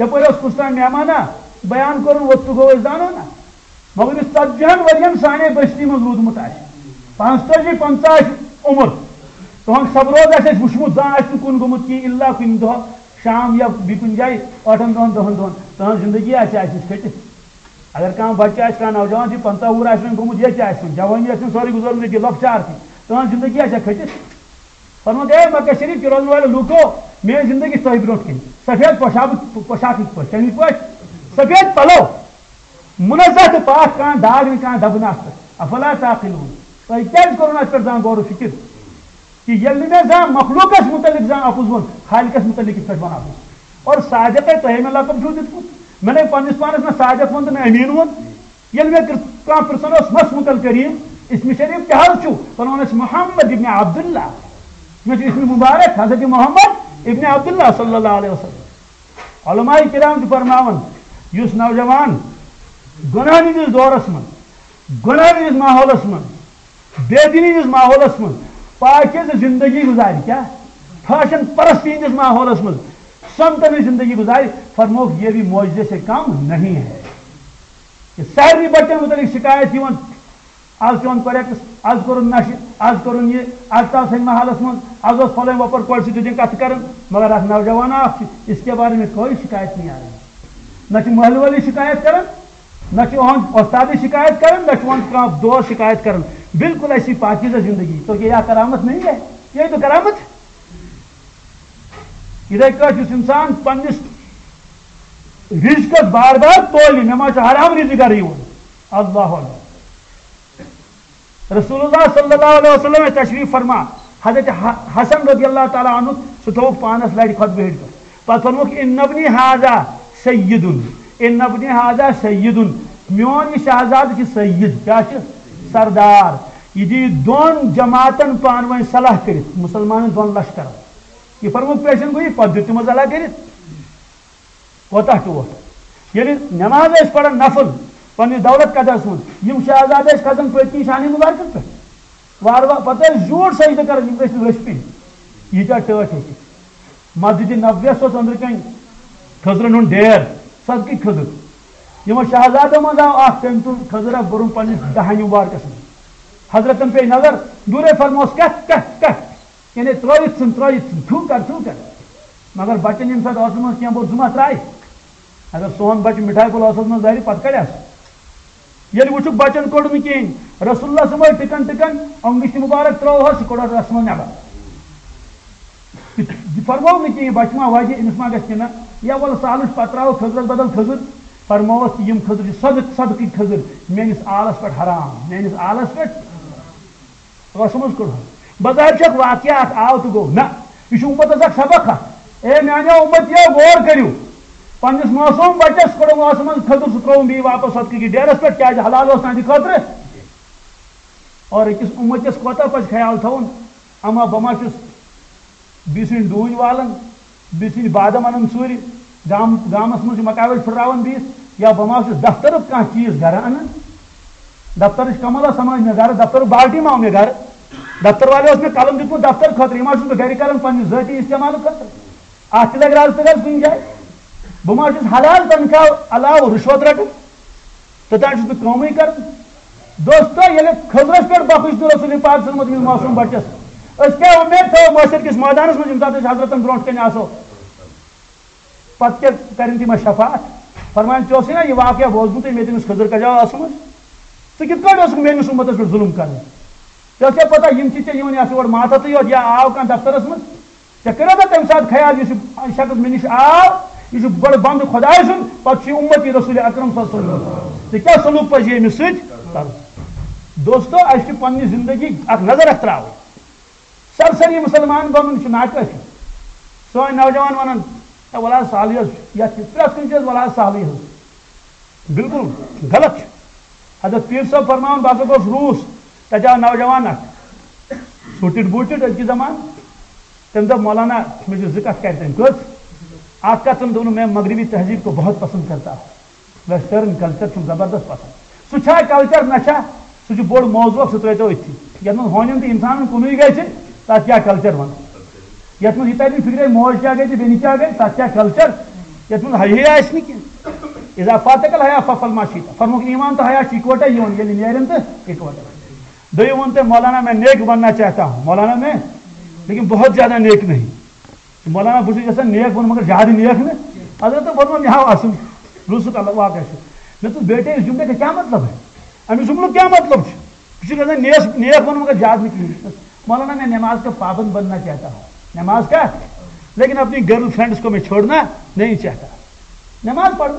یپٲرۍ اوس کُس تام مہمانہ، بیان کوٚرُن، ووٚتھ تہٕ گوٚو أسۍ زانو نہ۔ مگر یُس ژتجی ہن ؤرین سانے بستی منٛز روٗدمُت آسہِ، پانٛژتٲجی پنٛژاہ آسہِ عمر، تُہنٛد سبروز آسہِ اَسہِ وُچھمُت، زانٛہہ آسہِ نہٕ کُن گوٚمُت کینٛہہ، الا کُنہِ دۄہ شام یا بیٚیہِ کُنہِ جایہِ ٲٹھن دۄہن، دہن دۄہن، تُہنٛز زندگی آسہِ اَسہِ نِش کھٔٹِتھ۔ اگر کانٛہہ بچہٕ آسہِ، کانٛہہ نوجوان چھُ، پنٛژاہ وُہُر آسہِ وۄنۍ گوٚمُت، ییٚتہِ آسہِ وۄنۍ، جوٲنی آسہِ وۄنۍ سورُے گُزٲرمٕژ ییٚتی، لۄکچار تہِ، تُہنٛز زندگی آسہِ ہا کھٔٹِتھ۔ فرموو ہے مکہ شریف کہِ روزن والٮ۪و لوٗکو، میٲنۍ زندگی چھِ تۄہہِ برونٛٹھ کِنۍ۔ سفید پۄشاکھ، پۄشاکٕکۍ پٲٹھۍ، کَمِکۍ پٲٹھۍ؟ سفید پلو، منزہ تہٕ پاک، کانٛہہ داغ نہٕ، کانٛہہ دَبہٕ نہٕ اَتھ پٮ۪ٹھ۔ افلا تعقلون؟ تۄہہِ کیٛازِ کوٚروٕ نہٕ اَتھ پٮ۪ٹھ زانٛہہ غور و فکر؟ کہ ییٚلہِ نہٕ مےٚ زانٛہہ مخلوقس متعلق زانٛہہ اپُز ووٚن، خالقس متعلق کِتھ پٲٹھۍ وَنہٕ اپُز؟ اور صادقے تۄہے مےٚ لقب چھُو دیُتمُت۔ مےٚ نے پننِس پانس نہ صادق ووٚن تہٕ نہ امین ووٚن۔ ییٚلہِ مےٚ کر-، کانٛہہ پرژھان اوس، مَس متعلق کریم، اسمِ شریف کیٛاہ حظ چھُ؟ وَنان ٲسۍ محمد ابن عبداللہ۔ مےٚ چھُ اسمِ مبارک حضرت محمد ابن عبداللہ صلی اللہ علیہ وسلم۔ علماء کرام چھِ فرماوان، یُس نوجوان گۄناہن ہٕنٛدِس دورس منٛز، گۄناہن ہٕنٛدِس ماحولس منٛز، بے دینی ہٕنٛدِس ماحولس منٛز پاکیزٕ زندگی گُزارِ، کیٛاہ؟ فیشن پرستی ہٕنٛدِس ماحولس منٛز سنتن ہٕنٛز زندگی گُزارِ، فرمووُکھ، یہ بھی معجزے سے کم نہیں ہے۔ یہ سارنٕے بچن متعلق شکایت یِوان، از چھُ یِوان کریکس، از کوٚرُن نشہٕ، از کوٚرُن یہِ، از ژاو سینما ہالس منٛز، از اوس فلٲنۍ وۄپر کورِ سۭتۍ دِتِنۍ کتھٕ کران، مگر اکھ نوجوان اکھ چھُ، اس کے بارے میں کوئی شکایت نہیں آ رہی۔ نہ چھُ محلہٕ وٲلی شکایت کران، نہ چھُ یِہُنٛد وۄستادٕے شکایت کران، نہ چھُ یِہُنٛد کانٛہہ دوست شکایت کران۔ بالکل ایسی پاکیزہ زندگی تو یہ کیا کرامت نہیں ہے؟ یہ تو کرامت ہے۔ یِتھے کٲٹھۍ یُس انسان پننِس رزقس بار بار تولہِ، مےٚ ما چھُ حرام رزق گرٕ یِوان؟ اللہ اکبر۔ رسول اللہ صلی اللہ علیہ وسلم ٲسۍ تشریف فرما، حضرت ح-، حسن رضی اللہ تعالیٰ عنہ، سُہ تھوٚوُکھ پانس لرِ خطبہٕ ہیٚرِ پٮ۪ٹھ۔ پتہٕ ووٚنمُکھ، ان ابنی ھذا سیدن، ان ابنی ھذا سیدن، میون یہِ شہزادٕ چھُ سید، کیٛاہ چھُ؟ سردار۔ یہِ دِیہِ دۄن جماعتن پانہٕ ؤنۍ صلاح کٔرِتھ، مسلمانن دۄن لشکرن۔ یہِ فرمووُکھ پیشن گویی، پتہٕ دیُت تِمو صلاح کٔرِتھ۔ کوتاہ ٹوٹھ؟ ییٚلہِ نماز ٲسۍ پران نفل پننِس دولت قدس منٛز، یِم شہزادٕ ٲسۍ کھسان پٔتۍ کِنۍ شانہِ مبارکس پٮ۪ٹھ۔ وارٕ وارٕ پتہٕ ٲسۍ زیوٗٹھ سجدٕ کران، یِم گٔژھۍ نہٕ لٔسۍ پیٚنۍ۔ ییٖتیٛاہ ٹٲٹھۍ ٲسۍ۔ مسجد نبویس اوس أنٛدرٕ کنۍ کھٔزرن ہُنٛد ڈیر، صدقٕکۍ کھٔزٕر۔ یِمو شہزادو منٛز آو اکھ، تٔمۍ تُل کھٔزٕر اکھ، بوٚرُن پننِس دہنہِ مبارکس منٛز۔ حضرتن پیٚیہِ نظر، دوٗرے فرموس، کتھ، کتھ، کتھ؟ یعنی ترٲوِتھ ژھُن، ترٲوِتھ ژھُن، تھوٚو کر، تھوٚو کر۔ مگر بچن ییٚمہِ ساتہٕ ٲسہٕ منٛز کینٛہہ بوٚڑ زُما ترٛایہِ، اگر سون بچہٕ مِٹھایہِ پھوٚل ٲسس منٛز دارِ، پتہٕ کڑٮ۪س۔ ییٚلہِ وٕچھُکھ بچن کوٚڑ نہٕ کِہیٖنۍ، رسول اللہ صٲب ٲسۍ ٹِکن ٹِکن، انگُشتِ مبارک ترٲوہس، سُہ کوٚڑ رسمو نٮ۪بر۔ یہِ فرموو نہٕ کِہیٖنۍ، بچہٕ ما وجہِ، أمِس ما گژھِ کینٛہہ، نہ۔ یا وَلہٕ سہلٕے چھُ، پتہٕ ترٛاوو کھٔزرس بدل کھٔزٕر، فرمووس تہِ یِم کھٔزٕر چھِ صدق، صدقٕکۍ کھٔزٕر، میٲنِس آلس پٮ۪ٹھ حرام، میٲنِس آلس پٮ۪ٹھ۔ ٲسہٕ منٛز کوٚڑہَس۔ بظاہر چھُ اکھ واقعہ اکھ، آو تہٕ گوٚو۔ نہ، یہِ چھُ اُمتس اکھ سبق اکھ۔ اے میانیو اُمتیو، غور کٔرِو۔ پننِس معصوم بچس کوٚڑُم ٲسہٕ منٛز کھٔزٕر، سُہ ترٛووُم بیٚیہِ واپس صدقہٕ کِس ڈیرس پٮ۪ٹھ۔ کیازِ؟ حلال اوس تہنٛدِ خٲطرٕ۔ اور أکِس اُمتِس کوتاہ پزِ خیال تھاوُن؟ اما بہٕ ما چھُس بیٚیہِ سٕنٛدۍ ڈوٗنۍ والان، بیٚیہِ سٕنٛدۍ بادام انان ژوٗرِ، گام گامس منٛز چھِ مکاوٲے پھٕٹراوان بیٚیِس، یا بہٕ ما چھُس دفترُک کانٛہہ چیٖز گرٕ انان؟ دفترٕچ کمل ٲس سمان مےٚ گرٕ، دفترُک بالٹی ما آو مےٚ گرٕ؟ دفتر والے اوس مےٚ قلم دیُتمُت دفتر خٲطرٕ، یہِ ما چھُس بہٕ گرِ کران پننہِ ذٲتی استعمال خٲطرٕ؟ اتھ تہِ لگہِ رز تہٕ گژھ کُنہِ جایہِ۔ بہٕ ما چھُس حلال تنخواہ علاوٕ رُشوت رٹان؟ توٚتام چھُس بہٕ کٲمٕے کران۔ دوستو، ییٚلہِ خضرس پٮ۪ٹھ بخش دیُت رسول پاک صلی اللہ علیہ وسلم أمِس معصوم بچس، أسۍ کیٛاہ اُمید تھٲو محشر کِس مٲدانس منٛز، ییٚمہِ ساتہٕ أسۍ حضرتن برونٛٹھ کنہِ آسو؟ پتہٕ کیٛاہ کرن تِم اَسہِ شفاعت؟ فرمایَن، ژےٚ اوسُے نا یہِ واقعہ بوزمُت، ییٚمہِ تٔمِس خضر کجا آسُمٕژ؟ ژٕ کِتھ پٲٹھۍ اوسُکھ میٲنِس اُمتس پٮ۪ٹھ ظُلُم کران؟ ژےٚ چھےٚ پتہ، یِم چھِ ژےٚ یِوان یتھ یور ماتھتٕے یوت، یا آو کانٛہہ دفترس منٛز، ژےٚ کٔرِو نا تمہِ ساتہٕ خیال، یُس یہِ شخص مےٚ نِش آو، یہِ چھُ بڑٕ بندٕ خۄداے سُنٛد، پتہٕ چھُ یہِ اُمتی رسول اکرم صلی اللہ علیہ وسلم۔ ژےٚ کیٛاہ سلوک پزِ أمِس سۭتۍ کرُن؟ دوستو، اَسہِ چھِ پننہِ زندگی اکھ نظر اکھ تراوٕنۍ۔ سرسری مسلمان بنُن چھُ ناکٲفی۔ سٲنۍ نوجوان ونان، "ہے، وَلہٕ حظ سہلٕے حظ چھُ، یَتھ چھِ پرٛٮ۪تھ کُنہِ چیٖز وَلہٕ حظ سہلٕے حظ۔" بالکل غلط چھُ۔ حضرت پیٖر صٲب فرماوان، بہٕ ہسا گوس روٗس، تَتہِ آو نوجوان اکھ، سوٗٹِڈ بوٗٹِڈ أزکہِ زمانہٕ۔ تٔمۍ دوٚپ، "مولانا، مےٚ چھِ زٕ کَتھٕ کَرِ تٔمۍ۔" کٔژ؟ اکھ کَتھ تٔمۍ دوٚپ، "میں مغربی تہذیب کو بہت پسند کرتا ہوں۔" ویسٹرن کلچر چھُم زبردست پسند۔ سُہ چھا کلچر نہ چھا، سُہ چھُ بوٚڑ موضوع، سُہ ترٲیتو أتھی۔ یَتھ منٛز ہونٮ۪ن تہٕ اِنسانن کُنُے گژھِ، تَتھ کیٛاہ کلچر وَنو؟ یَتھ منٛز یہِ تَرِ نہٕ فِکرے، موج کیٛاہ گٔے تہٕ بیٚنہِ کیٛاہ گٔے، تَتھ کیٛاہ کلچر؟ یَتھ منٛز حیا آسہِ نہٕ کینٛہہ۔ اذا فاتک الحیا ففعل ما شئت۔ فرمووُکھ، ایمان تہٕ حیا چھِ اِکوٹے یِوان، ییٚلہِ نیرن تہٕ اِکوٹے۔ دوٚیِم ووٚن تٔمۍ، "مولانا، میں نیک بننا چاہتا ہوں۔" مولانا میں، لیکن بہت زیادہ نیک نہیں۔ مولانا، بہٕ چھُس یژھان نیک بنُن، مگر زیادٕ نیک نہٕ۔ حضرت فرموو، مےٚ ہاو اصل۔ روٗسُک اللہ واقعہ چھُ۔ مےٚ دوٚپ، "بیٹے، اس جملے کا کیا مطلب ہے؟ اَمہِ جملُک کیا مطلب چھُ؟ بہٕ چھُس یژھان نیس-، نیک بنُن، مگر زیادٕ نہٕ کِہیٖنۍ۔" مولانا، میں نماز کا پابند بننا چاہتا ہوں۔ نماز کا؟ لیکن اپنی گرل فرینڈس کو میں چھوڑنا نہیں چاہتا۔ نماز پرنہٕ۔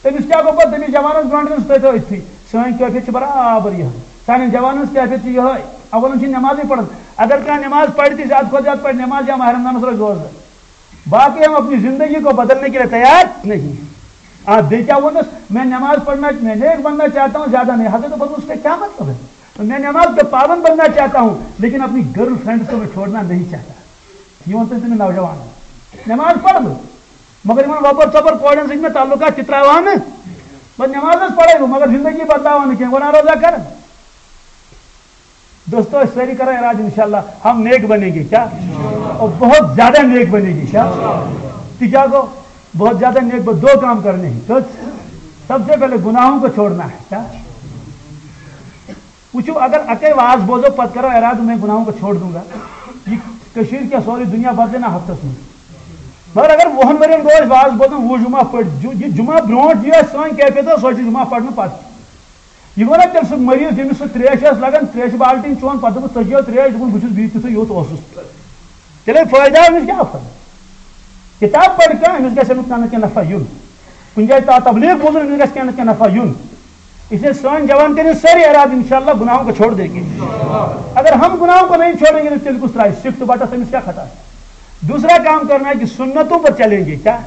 تٔمِس کیٛاہ گوٚو پَتہٕ؟ تٔمِس جوانَس برونٛٹھ کَنہِ سُہ تھٲیتو أتھی۔ سٲنۍ کٲفیت چھِ برابر یِہوٚے۔ سانٮ۪ن جوانَن ہٕنٛز کیفیت چھِ یِہوٚے۔ اولن چھِ نمازٕے پَران۔ اگر کانٛہہ نماز پَرِ تہِ، زیادٕ کھۄتہٕ زیادٕ پَرِ نماز یا ماہِ رمضانَس روزِ روزدَر۔ باقٕے ہم اپنی زندگی کو بدلنے کے لیے تیار نہیں۔ آ، بیٚیہِ کیٛاہ ووٚنُس؟ میں نماز پڑھنا، میں نیک بننا چاہتا ہوں، زیادہ نہیں۔ حضرت فرمووُس، اس کا کیا مطلب ہے؟ میں نماز کا پابند بننا چاہتا ہوں، لیکن اپنی گرل فرینڈ کو میں چھوڑنا نہیں چاہتا۔ یہِ ووٚن تٔمۍ تٔمِس نوجوانَن۔ نماز پَرٕ بہٕ، مگر یِمن وۄپر ژۄپر کورٮ۪ن سۭتۍ مےٚ تعلقات تہِ ترٛاوان نہٕ۔ بہٕ نماز حظ پرے بہٕ، مگر زندگی بدلاوان نہٕ کینٛہہ، گۄناہ روزا کران۔ دوستو، أسۍ سٲری کرو ارادٕ، انشاءاللہ ہم نیک بنیں گے، کیا؟ اور بہت زیادہ نیک بنیں گے، کیا؟ تہِ کیا گوٚو؟ بہت زیادہ نیک ب-، دو کام کرنے ہیں۔ کٔژ؟ سب سے پہلے گناہوں کو چھوڑنا ہے، کیا؟ وٕچھِو، اگر اَکے واز بوزو، پتہٕ کرو ارادٕ، میں گناہوں کو چھوڑ دوں گا، یہِ کٔشیٖر کیٛاہ سورُے دُنیا بدلہِ نا ہفتس منٛز۔ مگر اگر وُہن ؤرین گوٚو اَسہِ واز بوزان، وُہ جمعہ پٔرۍ، جُ-، یہِ جمعہ برونٛٹھ یہِ آسہِ سٲنۍ کیفیت، سۄ چھِ جمعہ پرنہٕ پتہٕ۔ یہِ گوٚو نا تیٚلہِ سُہ مریض، ییٚمِس سُہ تریش ٲس لگان، تریشہِ بالٹیٖن چون، پتہٕ دوٚپُس، "ژٕ چیٚیو تریش؟" دوٚپُن، "بہٕ چھُس بی تیُتھُے یوٚت اوسُس۔" تیٚلے فٲیدٕ آو أمِس کیٛاہ آو؟ کِتاب پَرِ کانٛہہ، أمِس گژھِ اَمیُک کانٛہہ نَتہٕ کینٛہہ نفع یُن۔ کُنہِ جایہِ تا تبلیغ بوزُن، أمِس گژھِ کینٛہہ نَتہٕ کینٛہہ نفع یُن۔ اس لیے سٲنۍ جوان کٔرِو سٲری ارادٕ، انشاءاللہ گناہوں کو چھوڑ دیں گے۔ اگر ہم گناہوں کو نہیں چھوڑیں گے، تو تیٚلہِ کُس ترٛایہِ سِکھ تہٕ بَٹَس، أمِس کیٛاہ خطا ہے؟ دوسرا کام کرنا ہے کہ سنتوں پر چلیں گے۔ کیا؟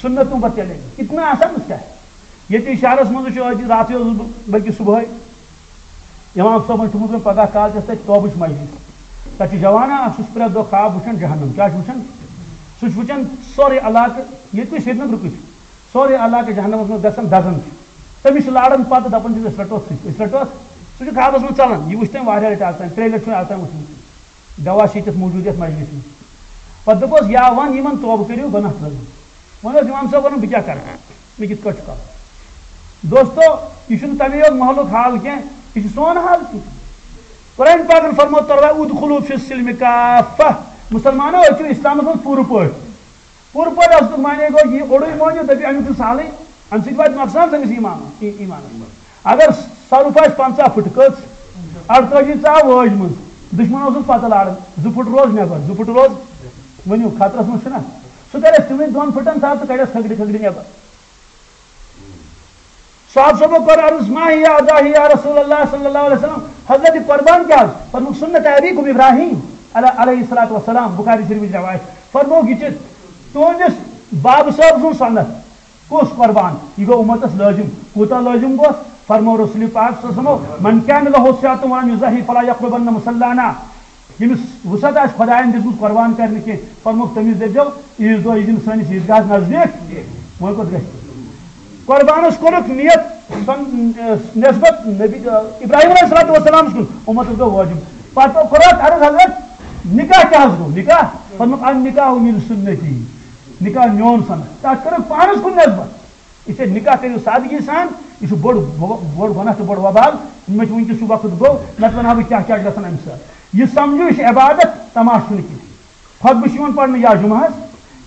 سنتوں پر چلیں گے۔ اتنا آسان اس کا ہے۔ ییٚتی شہرس منٛز چھُ أزۍ راتھٕے اوسُس بہٕ، بلکہِ صبحٲے امام صٲبن چھُ ووٚنمُت، پگاہ کالچس تتہِ توبٕچ مجلس۔ تتہِ چھُ جوانا اکھ، سُہ چھُ پرٛٮ۪تھ دۄہ خواب وٕچھان جہنم۔ کیٛاہ چھُ وٕچھان؟ سُہ چھُ وٕچھان سورُے علاقہٕ، ییٚتہِ تُہۍ سرینگرُکٕے چھُ، سورُے علاقہٕ جہنمس منٛز گژھان دزان چھُ۔ تٔمِس چھِ لاران پتہٕ، دپان چھِس، "أسۍ رٹوتھ سُہ، أسۍ رٹوتھ۔" سُہ چھُ خوابس منٛز ژلان۔ یہِ وٕچھ تٔمۍ واریاہ لٹہِ از تام، ترٛیٚیہِ لٹہِ چھُ مےٚ از تام وٕچھمُت۔ گواہ چھِ ییٚتٮ۪تھ موجود یتھ مجلسہِ منٛز۔ پتہٕ دوٚپُس، "یا ون یِمن توبہٕ کٔرِو، گۄناہ ترٲوِو۔" وۄنۍ اوس امام صٲب ونان، "بہٕ کیٛاہ کرٕ؟ مےٚ کِتھ کٲٹھۍ چھُ کرُن؟" دوستو، یہِ چھُنہٕ تَمے یوت محلُک حال کینٛہہ، یہِ چھُ سون حال تہِ۔ قرآن پاکن فرموو، "تروا ادخلوا فی السلم کافہ۔" مسلمانو، أسۍ چھِ اسلامس منٛز پوٗرٕ پٲٹھۍ۔ پوٗرٕ پٲٹھۍ آسنُک معنی گوٚو، یہِ اوٚڑُے مٲنِو، دٔپِو، اَمیُک چھُ سہلٕے، اَمہِ سۭتۍ واتہِ نۄقصان سٲنِس ایٖمانَس، ای-، ایٖمانَس منٛز۔ اگر سۄرُپھ آسہِ پنٛژاہ فُٹ کٔژ، اَڑتٲجی ژاو وٲج منٛز، دُشمَن اوسُس پَتہٕ لاران، زٕ فُٹ روز نٮ۪بر، زٕ فُٹ روز، ؤنِو، خطرَس منٛز چھُنہ؟ سُہ کَرِ اَسہِ تِمنٕے دۄن فُٹَن تھپھ تہٕ کَڑٮ۪س کھکھرِ کھکھرِ نٮ۪بر۔ صحابہ صٲبو کوٚر عرض، "ما ہی اعداہی یا رسول اللہ صلی اللہ علیہ وسلم؟" حضرت، قربان کیٛاہ حظ؟ فرمووُکھ، "سنت ابیکم ابراہیم علیہ، علیہ الصلوۃ والسلام۔" بخاری شریفٕچ روایت۔ فرمووُکھ، یہِ چھِ تُہٕنٛدِس بابہٕ صٲب سُنٛد سنت۔ کُس قربان؟ یہِ گوٚو اُمتس لٲزِم۔ کوٗتاہ لٲزِم گوٚو؟ فرموو رسول پاک صلی اللہ علیہ وسلم، "من کان لہ سیاتم ولم یضحی فلا یقربن مصلانا۔" ییٚمِس وُسعت آسہِ خۄدایَن دِژمٕژ قۄربان کَرنہٕ کینٛہہ، فرمووُکھ تٔمِس دٔپۍزیو، عیٖذ دۄہ ییٖزِ نہٕ سٲنِس عیٖدگاہَس نزدیٖک۔ وۄنۍ کوٚت گژھِ؟ قۄربانَس کوٚرُکھ نیت، سن-، نسبت نبی، ابراہیم علیہ الصلوۃ والسلامَس کُن، اُمتَس گوٚو وٲجِب۔ پَتہٕ کوٚر اَتھ عرض، حضرت، نکاح کیٛاہ حظ گوٚو؟ نکاح؟ فرمووُکھ، النکاح من سنتی، نکاح میون سنت۔ تَتھ کٔرٕکھ پانَس کُن نسبت۔ اس لیے نکاح کٔرِو سادگی سان، یہِ چھُ بوٚڑ، بوٚڑ گۄناہ تہٕ بوٚڑ وبال۔ مےٚ چھُ وٕنکیٚس سُہ وقت گوٚو، نتہٕ وَنہٕ ہا بہٕ کیٛاہ کیٛاہ چھُ گژھان اَمہِ سۭتۍ۔ یہِ سمجھِو، یہِ چھِ عبادت، تماشہٕ چھُنہٕ کینٛہہ۔ خطبہٕ چھُ یِوان پرنہٕ یا جمعہس،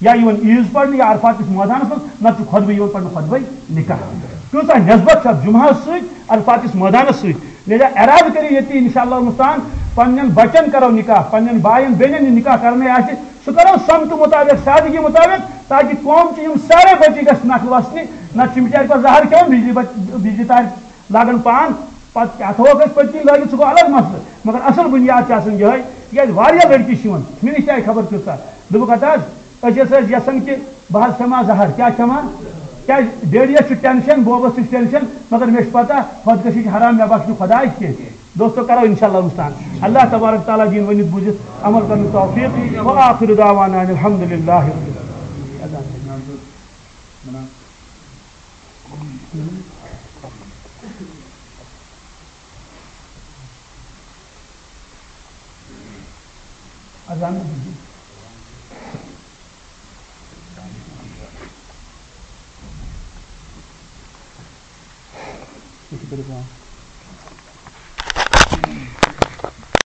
یا یِوان عیٖذ پرنہٕ، یا عرفاتٕکِس مٲدانس منٛز، نتہٕ چھُ خطبہٕ یِوان پرنہٕ خطبے نکاح۔ کۭژاہ نسبت چھِ اَتھ جمعہس سۭتۍ، عرفاتٕکِس مٲدانس سۭتۍ۔ لہذا ارادٕ کٔرِو ییٚتی، انشاءاللہ المستعان، پننٮ۪ن بچن کرو نکاح، پننٮ۪ن باین بیٚنٮ۪ن یہِ نکاح کرنے آسہِ، سُہ کرو سمتہٕ مطابق، سادگی مطابق، تاکہ قوم چہِ یِم سارے بچی گژھِ نکھٕ وسنہِ، نتہٕ چھِ بچارِ پتہٕ زہر کھٮ۪وان، بجلی بچ-، بجلی تارِ لاگان پان، پتہٕ کیٛاہ تھاووکھ أسۍ پٔتۍ کِنۍ لٲگِتھ، سُہ گوٚو الگ مسلہٕ، مگر اصل بنیاد چھِ آسان یِہوٚے، تِکیٛازِ واریاہ لڑکی چھِ یِوان، مےٚ نِش تہِ آیہِ خبر کۭژاہ، دوٚپُکھ ہتا حظ، أسۍ ہسا ٲسۍ یژھان کہِ بہٕ حظ کھٮ۪مہٕ ہا زہر، کیٛاہ کھٮ۪مہٕ ہا؟ کیٛازِ ڈیڈیَس چھُ ٹینشن، بوبس تہِ چھُ ٹینشن، مگر مےٚ چھُ پتہ خودکشی چھِ حرام، مےٚ بخشہِ نہٕ خداے کینٛہہ۔ دوستو، کرو انشاءاللہ مستعان۔ اللہ تبارک تعالیٰ دین ؤنِتھ بوٗزِتھ عمل کرنُک توفیق۔ وآخر دعوانا ان الحمد للہ رب العالمین۔ اذان۔